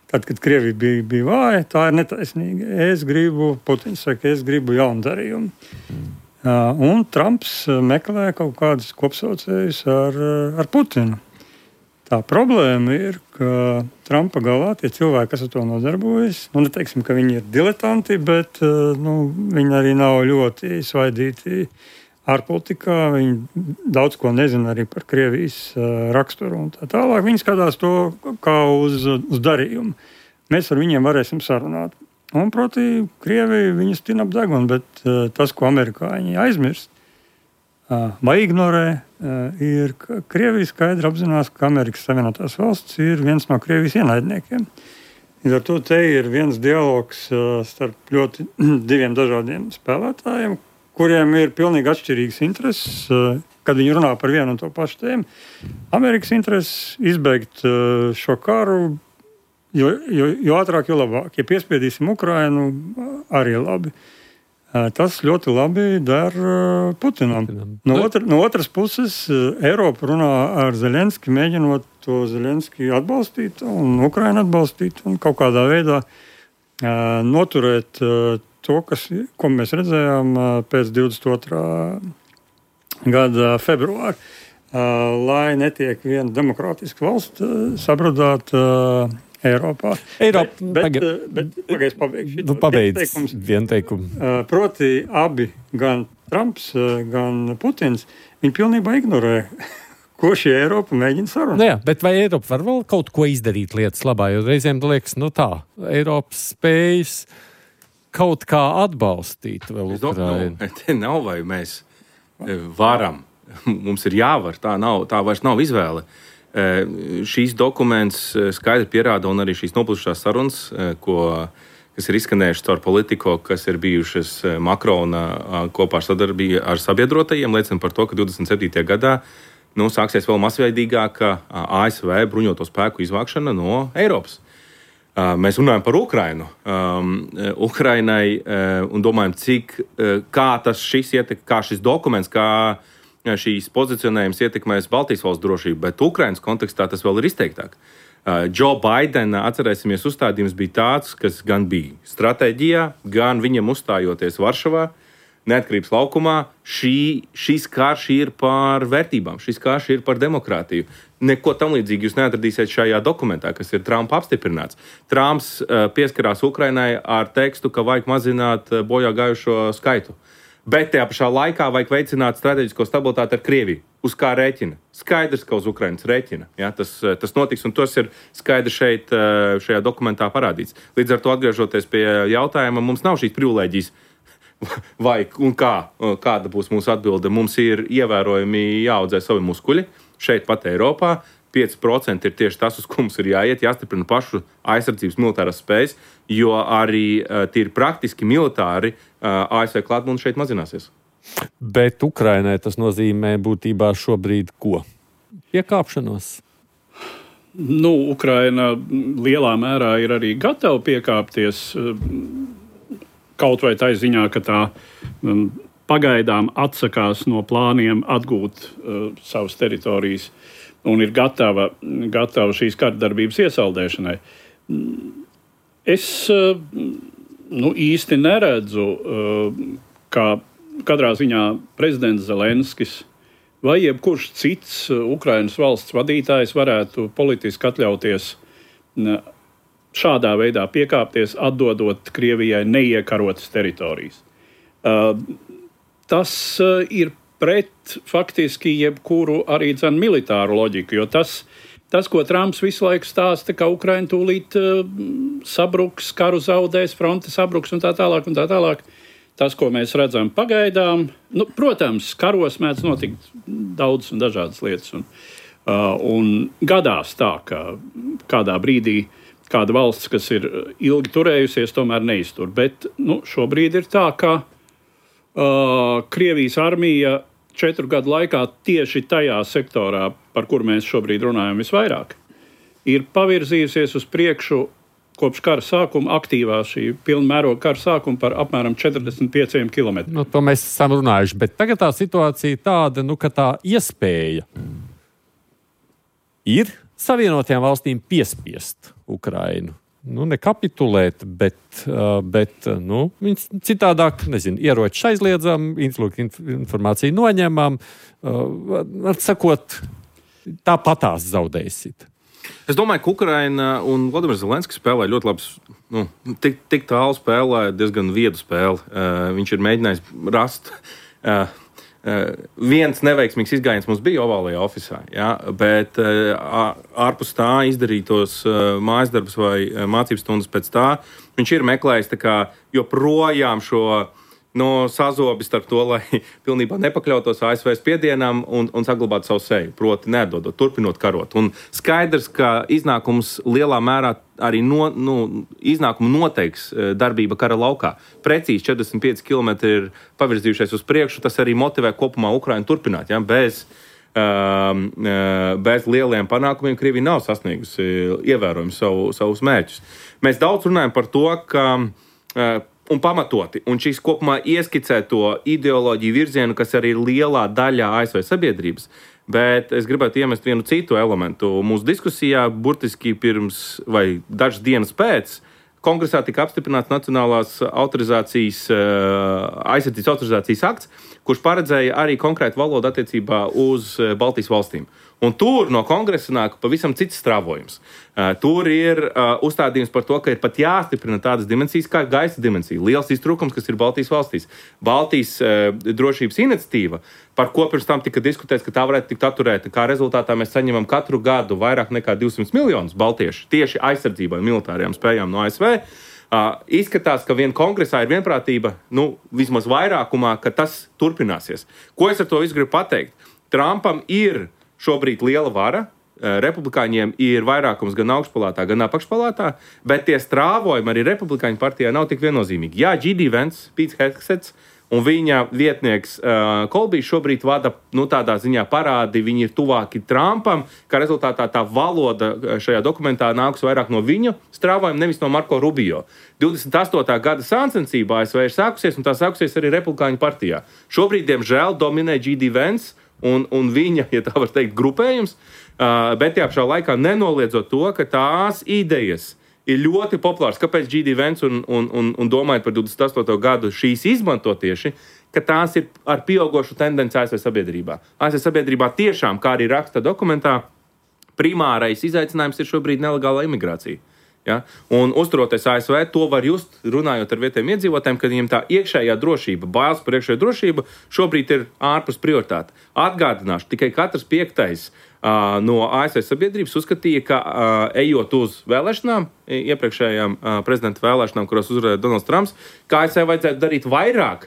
tad, kad Krievija bija, bija vāja, tā ir netaisnīga. Es gribu, Putins saka, es gribu jaunu darījumu. Uh, un Trumps meklē kaut kādus kopsaucējus ar, ar Putinu. Tā problēma ir, ka Trumpa galā tie cilvēki, kas ar to nodarbojas, nu, neteiksim, ka viņi ir diletanti, bet uh, nu, viņi arī nav ļoti svaidīti ārpolitikā. Viņi daudz ko nezina arī par Krievijas uh, raksturu un tā tālāk. Viņi skatās to kā uz, uz darījumu. Mēs ar viņiem varēsim sarunāt. Un, proti, Krievija viņus tin ap degunu, bet uh, tas, ko amerikāņi aizmirst uh, vai ignorē, uh, ir, ka Krievija skaidri apzinās, ka Amerikas Savienotās valsts ir viens no Krievijas ienaidniekiem. Līdz ar to te ir viens dialogs uh, starp ļoti diviem dažādiem spēlētājiem, kuriem ir pilnīgi atšķirīgas intereses, uh, kad viņi runā par vienu un to pašu tēmu. Amerikas intereses izbeigt uh, šo karu, Jo, jo, jo ātrāk, jo labāk. Ja piespiedīsim Ukrainu, arī labi. Tas ļoti labi der Putinam. No, otra, no otras puses, Eiropa runā ar Zelenski, mēģinot to Zelenski atbalstīt un Ukrainu atbalstīt un kaut kādā veidā noturēt to, kas, ko mēs redzējām pēc divdesmit otrā gada februāra. Lai netiek viena demokrātiska valsts sabradāta Eiropā.
Eiropa,
bet, bet, bet, bet pabeigšu.
Nu, pabeidz vienu teikumu.
Proti, abi, gan Trumps, gan Putins, viņi pilnībā ignorē, ko šī Eiropa mēģina sarunāt.
Nu jā, bet vai Eiropa var vēl kaut ko izdarīt lietas labā? Jo reizēm liekas, nu tā, Eiropas spējas kaut kā atbalstīt vēl Ukrainu.
No, te nav vai mēs varam. Mums ir jāvar, tā, nav, tā vairs nav izvēle. Šīs dokuments skaidri pierāda, un arī šīs noplūdušās sarunas, ko, kas ir izskanējušas caur Politico, kas ir bijušas Makrona kopā ar sadarbību ar sabiedrotajiem, liecina par to, ka divdesmit septītajā gadā nu, sāksies vēl masveidīgāka A S V bruņoto spēku izvākšana no Eiropas. Mēs runājam par Ukrainu. Um, Ukrainai uh, un domājam, cik, uh, kā tas šis ietek, kā šis dokuments, kā šīs pozicionējums ietekmēs Baltijas valsts drošību, bet Ukrainas kontekstā tas vēl ir izteiktāk. Uh, Joe Bidena, atcerēsimies, uzstādījums bija tāds, kas gan bija stratēģijā, gan viņam uzstājoties Varšavā, neatkarības laukumā. Šī, šis karš ir par vērtībām, šis karš ir par demokrātiju. Neko tam līdzīgi jūs neatradīsiet šajā dokumentā, kas ir Trumpa apstiprināts. Trumps uh, pieskarās Ukrainai ar tekstu, ka vajag mazināt uh, bojā gājušo skaitu. Bet tajā pašā laikā vajag veicināt strateģisko stabilitāti ar Krieviju. Uz kā rēķina? Skaidrs, ka uz Ukrainas rēķina. Ja, tas, tas notiks, un tas ir skaidri šeit, šajā dokumentā parādīts. Līdz ar to, atgriežoties pie jautājuma, mums nav šīs privilēģijas. Vai un kā? Kāda būs mūsu atbilde? Mums ir ievērojami jāaudzē savi muskuļi šeit pat Eiropā. pieci procenti ir tieši tas, uz ko mums ir jāiet, jāstiprina pašu aizsardzības militārās spējas, jo arī uh, tīri praktiski militāri uh, A S V klātbūtne šeit mazināsies.
Bet Ukrainai tas nozīmē būtībā šobrīd ko? Piekāpšanos?
Nu, Ukraina lielā mērā ir arī gatava piekāpties, kaut vai tā ziņā, ka tā um, pagaidām atsakās no plāniem atgūt uh, savas teritorijas un ir gatava, gatava šīs kardarbības iesaldēšanai. Es uh, nu, īsti neredzu, uh, kā katrā ziņā prezidents Zelenskis vai jebkurš cits Ukrainas valsts vadītājs varētu politiski atļauties uh, šādā veidā piekāpties, atdodot Krievijai neiekarotas teritorijas. Uh, tas uh, ir pret faktiski jebkuru arī dzen militāru loģiku, jo tas, tas, ko Trumps visu laiku stāsta, ka Ukraina tūlīt uh, sabruks, karu zaudēs, fronte sabruks un tā tālāk un tā tālāk, tas, ko mēs redzam pagaidām, nu, protams, karos mēdz notikt daudz un dažādas lietas, un, uh, un gadās tā, ka kādā brīdī kāda valsts, kas ir ilgi turējusies, tomēr neiztur. Bet nu, šobrīd ir tā, ka uh, Krievijas armija četru gadu laikā tieši tajā sektorā, par kuru mēs šobrīd runājam visvairāk, ir pavirzījusies uz priekšu kopš kara sākuma, aktīvā šī pilnmēroga kara sākuma par apmēram četrdesmit pieciem kilometriem.
Nu, to mēs esam runājuši, bet tagad tā situācija tāda, nu, ka tā iespēja ir Savienotajām valstīm piespiest Ukrainu. Nu, ne kapitulēt, bet, uh, bet nu, viņas citādāk, nezinu, ieroči aizliedzam, informāciju noņemam, uh, var sakot, tāpatās zaudēsit.
Es domāju, ka Ukraina un Vladimirs Zelenskis spēlē ļoti labs, nu, tik, tik tālu spēlē, diezgan viedu spēli. Uh, viņš ir mēģinājis rast... Uh, Uh, viens neveiksmīgs izgājiens mums bija ovālajā ofisā, ja, bet uh, ārpus tā izdarītos uh, mājas darbus vai uh, mācības stundas pēc tā, viņš ir meklējis tā kā joprojām šo no sazobi starp to, lai pilnībā nepakļautos A S V spiedienam un, un saglabātu savu seju, proti neatdodot, turpinot karot. Un skaidrs, ka iznākums lielā mērā arī no, nu, iznākumu noteiks darbība kara laukā. Precīzi četrdesmit pieci kilometri ir pavirzījušies uz priekšu, tas arī motivē kopumā Ukrainu turpināt, ja, bez, um, bez lieliem panākumiem Krievija nav sasniegusi ievērojami savu, savus mērķus. Mēs daudz runājam par to, ka uh, un pamatoti, un šīs kopumā ieskicē to ideoloģiju virzienu, kas arī ir lielā daļā A S V sabiedrības. Bet es gribētu iemest vienu citu elementu. Mūsu diskusijā burtiski pirms vai dažas dienas pēc Kongresā tika apstiprināts Nacionālās autorizācijas, aizsardzības autorizācijas akts, kurš paredzēja arī konkrētu valodu attiecībā uz Baltijas valstīm. Un tur no kongresa nāk pavisam cits strāvojums. Uh, tur ir uh, uzstādījums par to, ka ir pat jāstiprina tādas dimensijas kā gaisa dimensija. Liels iztrūkums, kas ir Baltijas valstīs. Baltijas uh, drošības iniciatīva, par ko pirms tam tika diskutēts, ka tā varētu tikt atturēta. Kā rezultātā mēs saņemam katru gadu vairāk nekā divsimt miljonus baltiešu tieši aizsardzībai militārajām spējām no A S V. Uh, izskatās, ka vien kongresā ir vienprātība, nu, vismaz vairākumā, ka tas turpināsies. Ko es ar to visu gribu pateikt? Trumpam ir šobrīd liela vara, republikāņiem ir vairākums gan augšpalātā, gan apakšpalātā, bet tie strāvojumi arī republikāņu partijā nav tik viennozīmīgi. Jā, J D Vance, Pīts Hegsets un viņa vietnieks uh, Kolbijs šobrīd vada, nu, tādā ziņā parādi, viņi ir tuvāki Trumpam, kā rezultātā tā valoda šajā dokumentā nāks vairāk no viņu strāvojuma, nevis no Marko Rubio. divdesmit astotā gada sāncensība A S V ir sākusies, un tā sākusies arī republikāņu partijā. Šobrīd, diemžēl, dominē J D Vance, Un, un viņa, ja tā var teikt, grupējums, uh, bet tajā pašā laikā nenoliedzot to, ka tās idejas ir ļoti populāras. Kāpēc J D Vance un, un, un, un domājot par divdesmit astoto gadu šīs izmanto tieši, ka tās ir ar pieaugošu tendenci A S V sabiedrībā. A S V sabiedrībā tiešām, kā arī raksta dokumentā, primārais izaicinājums ir šobrīd nelegālā imigrācija. Ja? Un uzturoties A S V, to var just, runājot ar vietējiem iedzīvotājiem, ka viņiem tā iekšējā drošība, bailes par iekšējo drošību šobrīd ir ārpus prioritāte. Atgādināšu, tikai katrs piektais uh, no A S V sabiedrības uzskatīja, ka uh, ejot uz vēlēšanām, iepriekšējām uh, prezidenta vēlēšanām, kuros uzvarēja Donalds Trumps, ka A S V vajadzētu darīt vairāk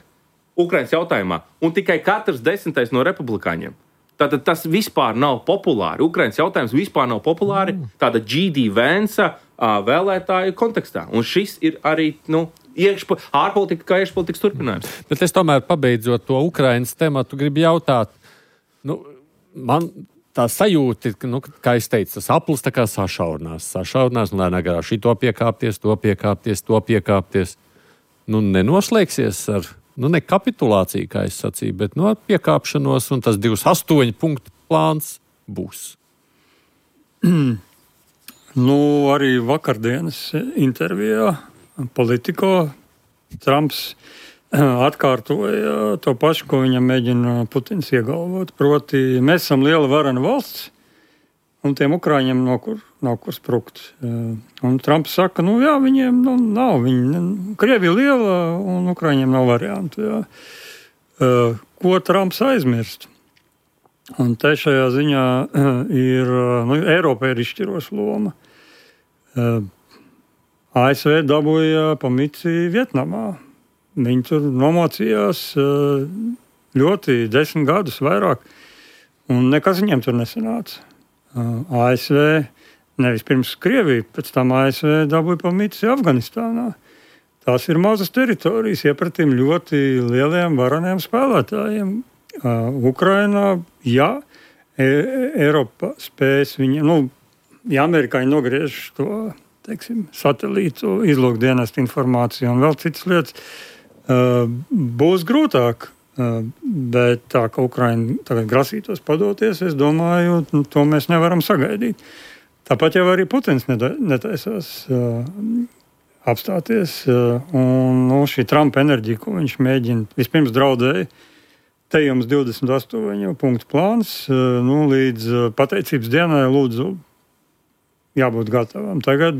Ukrainas jautājumā, un tikai katrs desmitais no republikāņiem. Tātad tas vispār nav populāri. Ukrainas jautājums vispār nav populāri tāda J D Vance vēlētāju kontekstā. Un šis ir arī, nu, iekšpo, ārpolitika kā iekšpolitikas turpinājums.
Bet es tomēr, pabeidzot to Ukrainas tematu, gribu jautāt, nu, man tā sajūta, nu, kā es teicu, tas aplis tā kā sašaurinās. Sašaurinās, un lēnā garā šito piekāpties, to piekāpties, to piekāpties. Nu, nenoslēgsies ar nu, ne kapitulāciju, kā es sacīju, bet no piekāpšanos, un tas divdesmit astoņu punktu plāns būs.
Nu, arī vakardienas intervijā Politico Trumps atkārtoja to pašu, ko viņam mēģina Putins iegalvot. Proti, mēs esam liela varena valsts, un tiem Ukraiņiem nav kur, nav kur sprukt. Un Trumps saka, nu jā, viņiem nu, nav. Viņi, Krievija liela, un Ukraiņiem nav variantu. Jā. Ko Trumps aizmirst? Un te šajā ziņā ir, nu, Eiropa ir izšķiroša loma. A S V dabūja pa mici Vietnamā. Viņi tur nomocījās ļoti desmit gadus vairāk, un nekas viņiem tur nesanāca. A S V, nevis pirms Krievija, pēc tam A S V dabūja pa mici Afganistānā. Tās ir mazas teritorijas iepratīm ļoti lieliem varaniem spēlētājiem. Ukrainā, ja Eiropa spēs viņu, nu, ja amerikāņi nogriež to, teiksim, satelītu, izlūkdienestu informāciju un vēl citas lietas, būs grūtāk. Bet tā, ka Ukraina tagad grasītos padoties, es domāju, to mēs nevaram sagaidīt. Tāpat jau arī Putins netaisās apstāties. Un nu, šī Trumpa enerģija, ko viņš mēģina, vispirms draudēja, te jums divdesmit astoņu punktu plāns, nu, līdz pateicības dienai lūdzu jābūt gatavam. Tagad,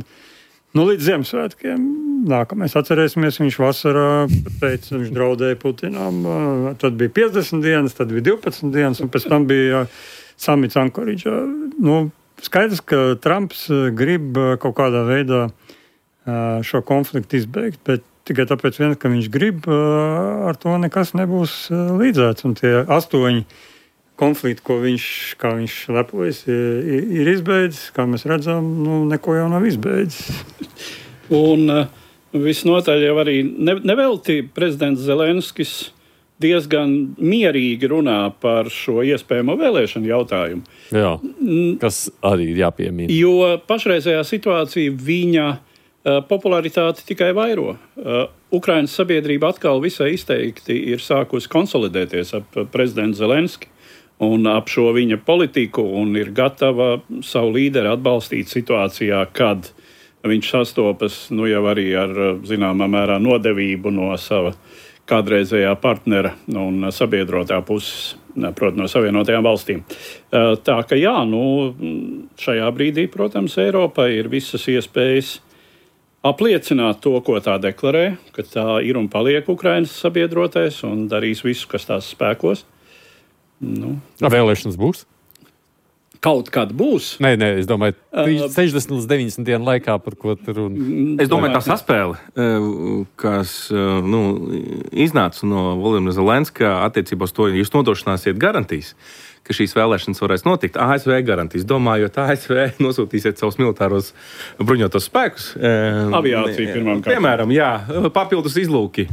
nu, līdz Ziemassvētkiem nākamais atcerēsimies, viņš vasarā teica, viņš draudēja Putinam, tad bija piecdesmit dienas, tad bija divpadsmit dienas, un pēc tam bija samits Ankoridžā. Nu, skaidrs, ka Trumps grib kaut kādā veidā šo konfliktu izbeigt, bet tikai tāpēc vien, ka viņš grib, ar to nekas nebūs līdzēts. Un tie astoņi konflikti, ko viņš, kā viņš lepojas, ir, ir izbeidzis, kā mēs redzam, nu, neko jau nav izbeidzis.
Un uh, visnotaļ jau arī ne, nevelti prezidents Zelenskis diezgan mierīgi runā par šo iespējamo vēlēšanu jautājumu.
Jā, kas arī ir jāpiemina.
Jo pašreizējā situācija viņa uh, popularitāti tikai vairo. Uh, Ukrainas sabiedrība atkal visai izteikti ir sākusi konsolidēties ap prezidentu Zelenski un ap šo viņa politiku, un ir gatava savu līderi atbalstīt situācijā, kad viņš sastopas nu, jau arī ar zināmā mērā nodevību no sava kādreizējā partnera un sabiedrotā puses, proti no Savienotajām valstīm. Tā ka jā, nu, šajā brīdī, protams, Eiropai ir visas iespējas apliecināt to, ko tā deklarē, ka tā ir un paliek Ukrainas sabiedrotais un darīs visu, kas tās spēkos. Nu.
Vēlēšanas būs?
Kaut kad būs.
Nē, nē, es domāju, sešdesmit līdz deviņdesmit dienu laikā, par ko tur un...
Es domāju, tā saspēle, kas nu, iznāca no Volodymyra Zelenska attiecībā uz to, ja jūs nodrošināsiet garantijas, ka šīs vēlēšanas varēs notikt. A S V garantijas, domājot, A S V nosūtīsiet savus militāros bruņotos spēkus.
Aviācija pirmām kārtām.
Piemēram, jā, papildus izlūki,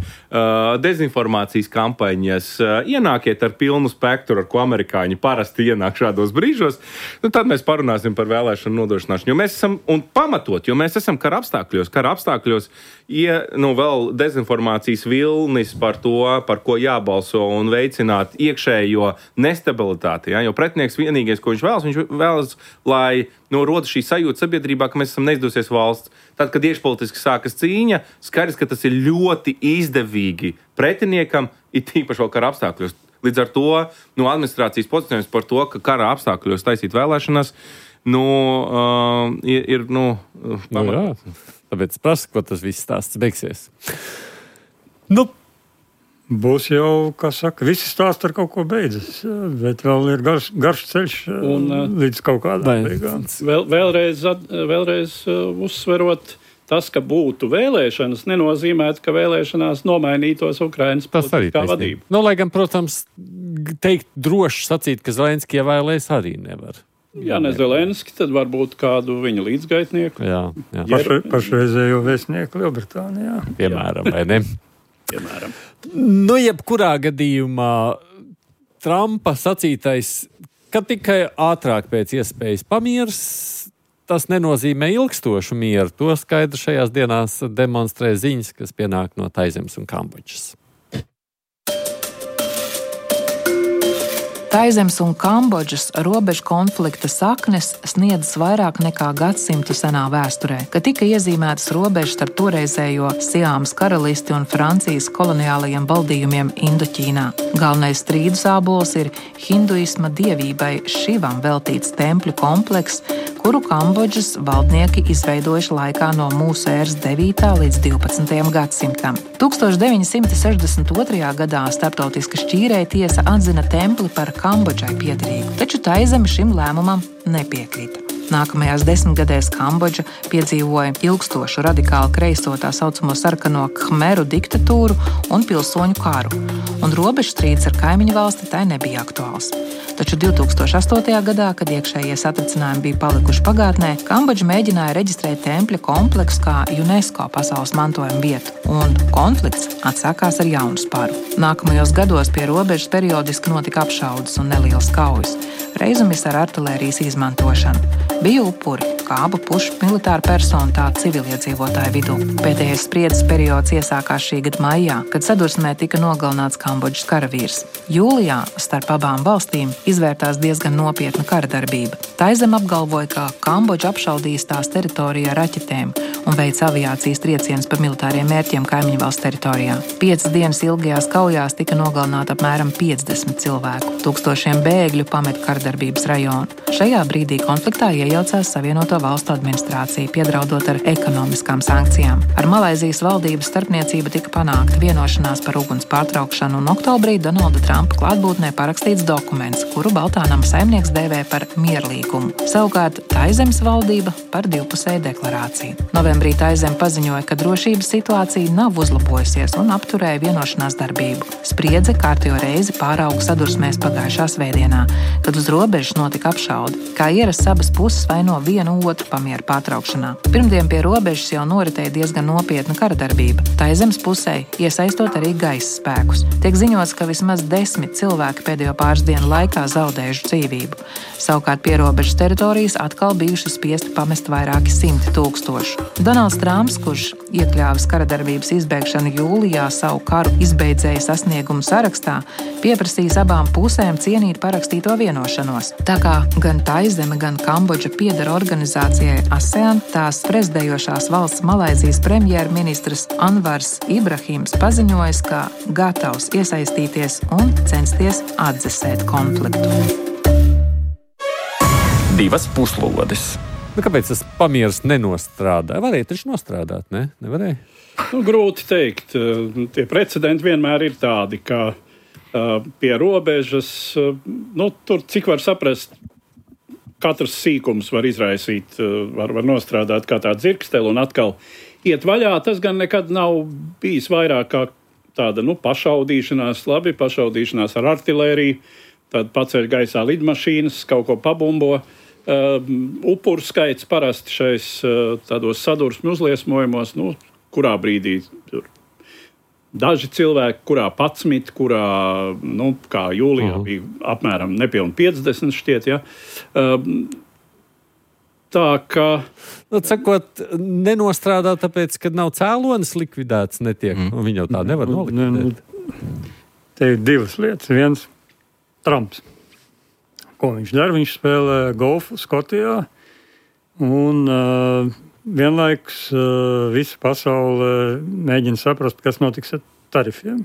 dezinformācijas kampaņas, ienākiet ar pilnu spektru, ar ko amerikāņi parasti ienāk šādos brīžos, nu, tad mēs parunāsim par vēlēšanu nodrošināšanu. Jo mēs esam, un pamatot, jo mēs esam kara apstākļos, kara apstākļos, ja, nu, vēl dezinformācijas vilnis par to, par ko jābalso un veicināt iekšējo nestabilitāti. Ja? Jo pretinieks vienīgais, ko viņš vēlas, viņš vēlas, lai nu, rodas šī sajūta sabiedrībā, ka mēs esam neizdosies valsts. Tad, kad iekšpolitiski sākas cīņa, skaidrs, ka tas ir ļoti izdevīgi pretiniekam, it īpaši vēl kara apstākļos. Līdz ar to nu, administrācijas pozicionējums par to, ka kara apstākļos taisīt vēlēšanas, nu, uh, ir, ir nu,
nu jā, tāpēc prasu, ko tas viss stāsts beigsies. Nu,
būs jau, kā saka, visi stāsti ar kaut ko beidzas, bet vēl ir garš, garš ceļš un, līdz kaut kādām beigām.
Vēl, vēlreiz, vēlreiz uzsverot, tas, ka būtu vēlēšanas, nenozīmētu, ka vēlēšanās nomainītos Ukrainas politiskā vadība.
Nu, lai gan, protams, teikt droši sacīt, ka Zelenski ievēlēs arī nevar.
Ja ne Zelenski, tad varbūt kādu viņa līdzgaitnieku.
Jā, jā.
Pašre, pašreizējo vēstnieku Lielbritānijā.
Piemēram, vai ne?
Piemēram.
Nu, jebkurā gadījumā Trumpa sacītais, ka tikai ātrāk pēc iespējas pamiers, tas nenozīmē ilgstošu mieru. To skaidri šajās dienās demonstrē ziņas, kas pienāk no Taizemes un Kambodžas.
Taizemes un Kambodžas robežu konflikta saknes sniedzas vairāk nekā gadsimtu senā vēsturē, kad tika iezīmētas robežas starp toreizējo Siāmas karalisti un Francijas koloniālajiem valdījumiem Indoķīnā. Galvenais strīdu sābols ir hinduisma dievībai Šivam veltīts tempļu komplekss, kuru Kambodžas valdnieki izveidojuši laikā no mūsu ēras devītā līdz divpadsmitajam gadsimtam. tūkstoš deviņi simti sešdesmit otrajā gadā starptautiska šķīrēja tiesa atzina templi par Kambodžai piederīgu, taču Taizeme šim lēmumam nepiekrita. Nākamajās desmitgadēs Kambodža piedzīvoja ilgstošu radikālu kreiso tā saucamo sarkano Khmeru diktatūru un pilsoņu karu, un robežstrīds ar kaimiņu valsti tai nebija aktuāls. Taču divtūkstoš astotajā gadā, kad iekšējie satricinājumi bija palikuši pagātnē, Kambodža mēģināja reģistrēt tempļa kompleksu kā UNESCO pasaules mantojuma vietu, un konflikts atsākās ar jaunu sparu. Nākamajos gados pie robežas periodiski notika apšaudes un nelielas kaujas, reizumis ar artilērijas izmantošanu. Bija upuri, kā abu pušu militāru personu, tā civiliedzīvotāju vidū. Pēdējais spriedzes periods iesākās šī gada maijā, kad sadursmē tika nogalināts Kambodžas karavīrs. Jūlijā starp abām valstīm izvērtās diezgan nopietna kara darbība. Taizeme apgalvoja, ka Kambodža apšaudījis tās teritorijā ar raķetēm un veica aviācijas triecienus par militāriem mērķiem kaimiņu valsts teritorijā. Piecas dienas ilgajās kaujās tika nogalināti apmēram piecdesmit cilvēku. Tūkstošiem bēgļu pameta kardarbības rajonu. Šajā brīdī konfliktā iejaucās Savienoto Valstu administrācija, piedraudot ar ekonomiskām sankcijām. Ar Malaizijas valdības starpniecību tika panākta vienošanās par uguns pārtraukšanu, un oktobrī Donalda Trumpa klātbūtnē parakstīts dokuments, kuru Baltānama saimnieks dēvē par mierlīgumu. Savukārt Taizemes valdība par divpusēju deklarāciju. Novembrī Taizeme paziņoja, ka drošības situācija nav uzlabojusies un apturēja vienošanās darbību. Spriedze kārtējo reizi pārauga sadursmēs pagājušā svētdienā, kad uz robežas notika apšaude. Kā ierasts, abas puses vaino vienu otru pamieru pārtraukšanā. Pirmdien pie robežas jau noritēja diezgan nopietna kara darbība. Taizemes pusē iesaistot arī gaisa spēkus. Tiek ziņots, ka vismaz desmit cilvēki pēdējo pāris dienu laikā zaudējuši dzīvību. Savukārt pierobežas teritorijas atkal bijuši spiesti pamest vairāki simti tūkstoši. Donalds Trumps, kurš iekļāvis kara darbības izbeigšanu jūlijā savu karu izbeidzēja sasniegumu sarakstā, pieprasījis abām pusēm cienīt parakstīto vienošanos. Tā kā gan Taizeme, gan Kambodža pieder organizācijai ASEAN, tās prezidējošās valsts Malaizijas premjerministrs Anvars Ibrahims paziņoja, ka gatavs iesaistīties un censties atdzesēt konfliktu.
Divas puslodes.
Nu, kāpēc tas pamieris nenostrādāja? Varēja taču nostrādāt, ne? Nevarēja?
Nu, grūti teikt. Tie precedenti vienmēr ir tādi, ka uh, pie robežas, uh, nu, tur, cik var saprast, katrs sīkums var izraisīt, uh, var, var nostrādāt kā tāda dzirkstele un atkal iet vaļā. Tas gan nekad nav bijis vairāk kā tāda, nu, pašaudīšanās, labi, pašaudīšanās ar artilēriju, tad paceļ gaisā lidmašīnas, kaut ko pabumbo. Uh, upuru skaits parasti šais uh, tādos sadursmu uzliesmojumos, nu, kurā brīdī tur daži cilvēki, kurā patsmit, kurā, nu, kā jūlijā uh-huh. bija apmēram nepilni piecdesmit šķiet, ja. Uh, tā kā...
Nu, sakot, nenostrādā tāpēc, ka nav cēlonis likvidēts, netiek, mm. un viņi jau tā nevar nolikvidēt.
Te ir divas lietas. Viens, Trumps. Ko viņš dara? Viņš spēlē golfu Skotijā, un uh, vienlaikus uh, visa pasaule mēģina saprast, kas notiks ar tarifiem.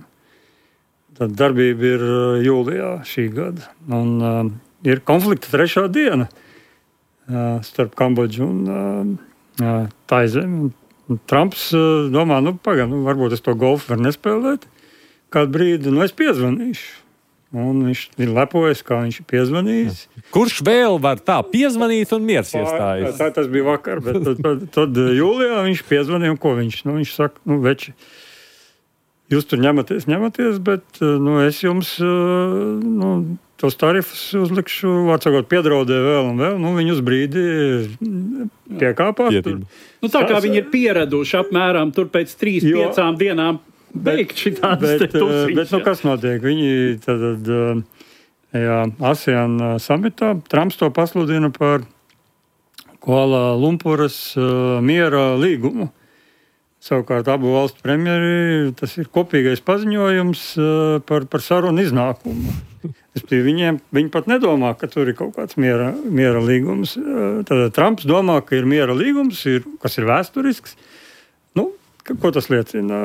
Tad darbība ir uh, jūlijā šī gada, un uh, ir konflikta trešā diena uh, starp Kambodžu un uh, Taizemi. Trumps uh, domā, nu, pagaid, nu, varbūt es to golfu varu nespēlēt, kādu brīdi, nu, es piezvanīšu. Un viņš ir lepojas, kā viņš ir piezvanījis.
Kurš vēl var tā piezvanīt un miers iestājas?
Tā, tas bija vakar, bet tad, tad, tad jūlijā viņš piezvanīja, un ko viņš? Nu, viņš saka, nu, veči, jūs tur ņematies, ņematies, bet nu, es jums nu, tos tarifus uzlikšu, vārdsakot, piedraudēju vēl un vēl. Nu, viņi uz brīdi piekāpās.
Nu, tā kā viņi ir pieraduši apmēram tur pēc trīs, jo, piecām dienām beigt šitādas te tusiņas.
Bet, nu, kas notiek? Viņi tad, jā, ASEAN samitā, Trumps to pasludina par Kuala Lumpuras uh, miera līgumu. Savukārt abu valstu premjeri, tas ir kopīgais paziņojums par, par sarunu iznākumu. Viņiem, viņi pat nedomā, ka tur ir kaut kāds miera, miera līgums. Tad Trumps domā, ka ir miera līgums, ir, kas ir vēsturisks. Nu, ko tas liecina?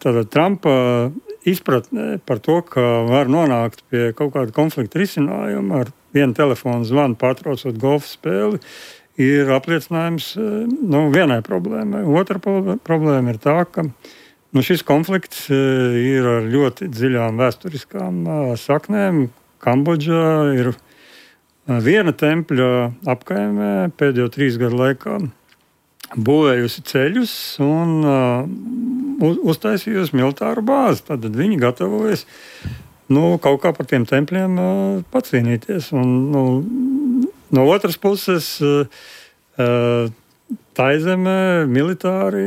Tad Trumpa izpratnē par to, ka var nonākt pie kaut kāda konflikta risinājuma ar vienu telefonu zvanu pārtraucot golfa spēli, ir apliecinājums nu, vienai problēmai. Otra problēma ir tā, ka nu, šis konflikts ir ar ļoti dziļām vēsturiskām saknēm. Kambodžā ir viena tempļa apkaimē pēdējo trīs gadu laikā būvējusi ceļus un uh, uztaisījusi militāru bāzi. Tad viņi gatavojas nu, kaut kā par tiem tempļiem uh, pacīnīties. Un, nu, no otras puses, uh, Taizemē militāri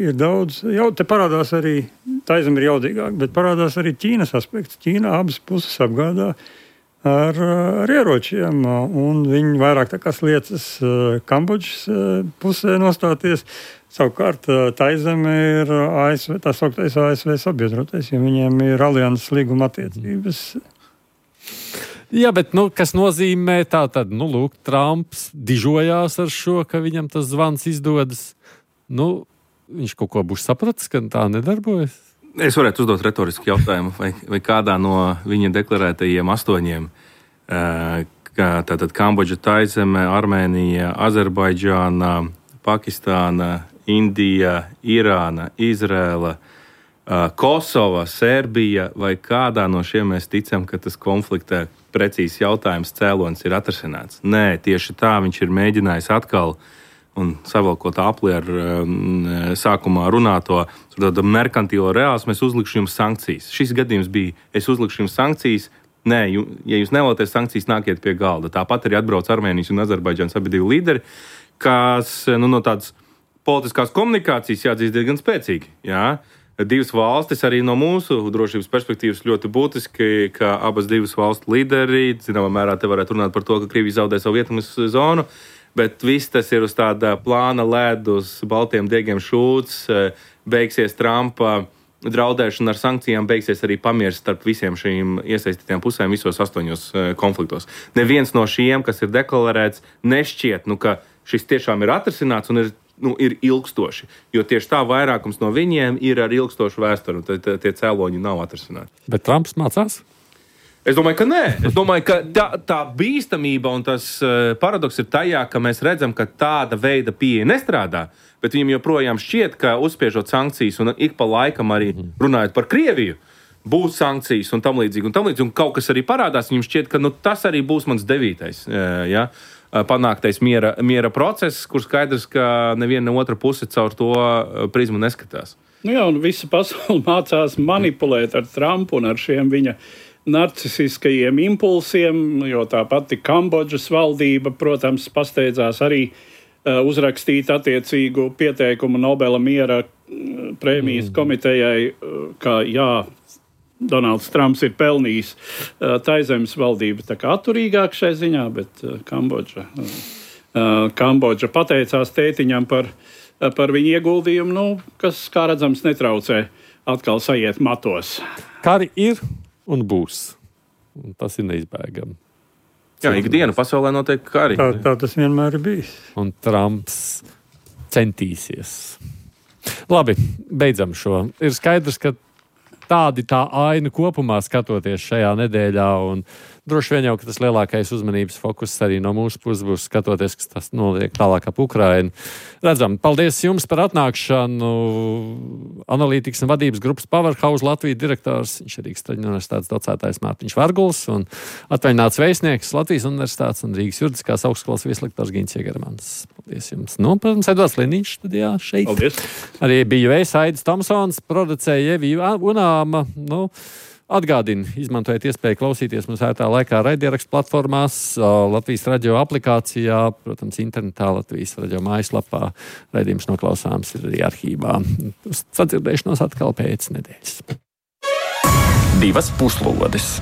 ir daudz, jau te parādās arī, Taizeme ir jaudīgāk, bet parādās arī Ķīnas aspekts. Ķīna abas puses apgādā ar, ar ieročiem, un viņi vairāk tā kā sliecas Kambodžas pusē nostāties. Savukārt Taizeme ir A S V, tā sauktais A S V sabiedrotais, jo viņiem ir alianses līguma attiecības.
Jā, bet nu, kas nozīmē tā, tad, nu, lūk, Trumps dižojās ar šo, ka viņam tas zvans izdodas. Nu, viņš kaut ko būs sapratis, ka tā nedarbojas?
Es varētu uzdot retorisku jautājumu, vai, vai kādā no viņa deklarētajiem astoņiem, kā tātad Kambodža, Taizeme, Armēnija, Azerbaidžāna, Pakistāna, Indija, Irāna, Izrēla, Kosova, Serbija, vai kādā no šiem mēs ticam, ka tas konflikta precīzs jautājums cēlonis ir atrasināts. Nē, tieši tā viņš ir mēģinājis atkal, un savalkot apli ar um, sākumā runāto merkantilo reāls, mēs uzlikšu jums sankcijas. Šis gadījums bija, es uzlikšu jums sankcijas, nē, jū, ja jūs nevēlaties sankcijas, nākiet pie galda. Tāpat arī atbrauc Armēnijas un Azerbaidžānas abi divi līderi, kas nu, no tādas politiskās komunikācijas jāatzīst diezgan spēcīgi, jā. Divas valstis arī no mūsu drošības perspektīvas ļoti būtiski, ka abas divas valstu līderi, zināmā mērā te varētu runāt par to, ka Krievija zaudē savu ietekmes zonu, bet viss tas ir uz tāda plāna lēdu, uz baltiem diegiem šūts, beigsies Trumpa draudēšana ar sankcijām, beigsies arī pamieris starp visiem šīm iesaistītiem pusēm visos astoņos konfliktos. Neviens no šiem, kas ir deklarēts, nešķiet, nu, ka šis tiešām ir atrisināts un ir Nu, ir ilgstoši, jo tieši tā vairākums no viņiem ir ar ilgstošu vēsturi, un tie, tie cēloņi nav atrisināti.
Bet Trumps mācās?
Es domāju, ka nē. Es domāju, ka tā, tā bīstamība un tas uh, paradoks ir tajā, ka mēs redzam, ka tāda veida pieeja nestrādā, bet viņiem joprojām šķiet, ka uzspiežot sankcijas un ik pa laikam arī runājot par Krieviju, būs sankcijas un tam līdzīgi, un tam līdzīgi, un kaut kas arī parādās, viņiem šķiet, ka nu, tas arī būs mans devītais, uh, ja? panāktais miera, miera process, kur skaidrs, ka neviena ne otra puse caur to prizmu neskatās.
Nu jā, un visa pasaule mācās manipulēt ar Trumpu un ar šiem viņa narcisiskajiem impulsiem, jo tā pati Kambodžas valdība, protams, pasteidzās arī uh, uzrakstīt attiecīgu pieteikumu Nobela miera prēmijas mm. komitejai, uh, ka jā, Donalds Trumps ir pelnījis uh, Taizemes valdība tā kā atturīgāk šai ziņā, bet uh, Kambodža, uh, Kambodža pateicās tētiņam par, uh, par viņu ieguldījumu, nu, kas, kā redzams, netraucē atkal sajiet matos.
Kari ir un būs. Un tas ir neizbēgami.
Jā, ikdienu pasaulē notiek kari.
Tā, tā tas vienmēr ir bijis.
Un Trumps centīsies. Labi, beidzam šo. Ir skaidrs, ka tādi tā aina kopumā skatoties šajā nedēļā, un droši vien jau, ka tas lielākais uzmanības fokus arī no mūsu puses būs skatoties, kas tas notiek tālāk ap Ukrainu. Redzam, paldies jums par atnākšanu. Analītikas un vadības grupas Powerhouse Latvijas direktors, viņš ir Rīgas Traģiņu universitātes docētājs Mārtiņš Varguls un atvaļināts vēstnieks Latvijas universitātes un Rīgas juridiskās augstskolas vieslektors Gīns Iegermans. Paldies jums. Nu, protams, Edvards Liniņš studijā šeit.
Paldies.
Arī bija vējs Aidis Tomsons, producēja Evija Unāma. Nu, atgādinu, izmantojiet iespēju klausīties mums ērtā laikā raidierakstu platformās, Latvijas radio aplikācijā, protams, internetā, Latvijas radio mājaslapā. Raidījums noklausāms ir arī arhīvā. Sadzirdēšanos atkal pēc nedēļas.
Divas puslodes.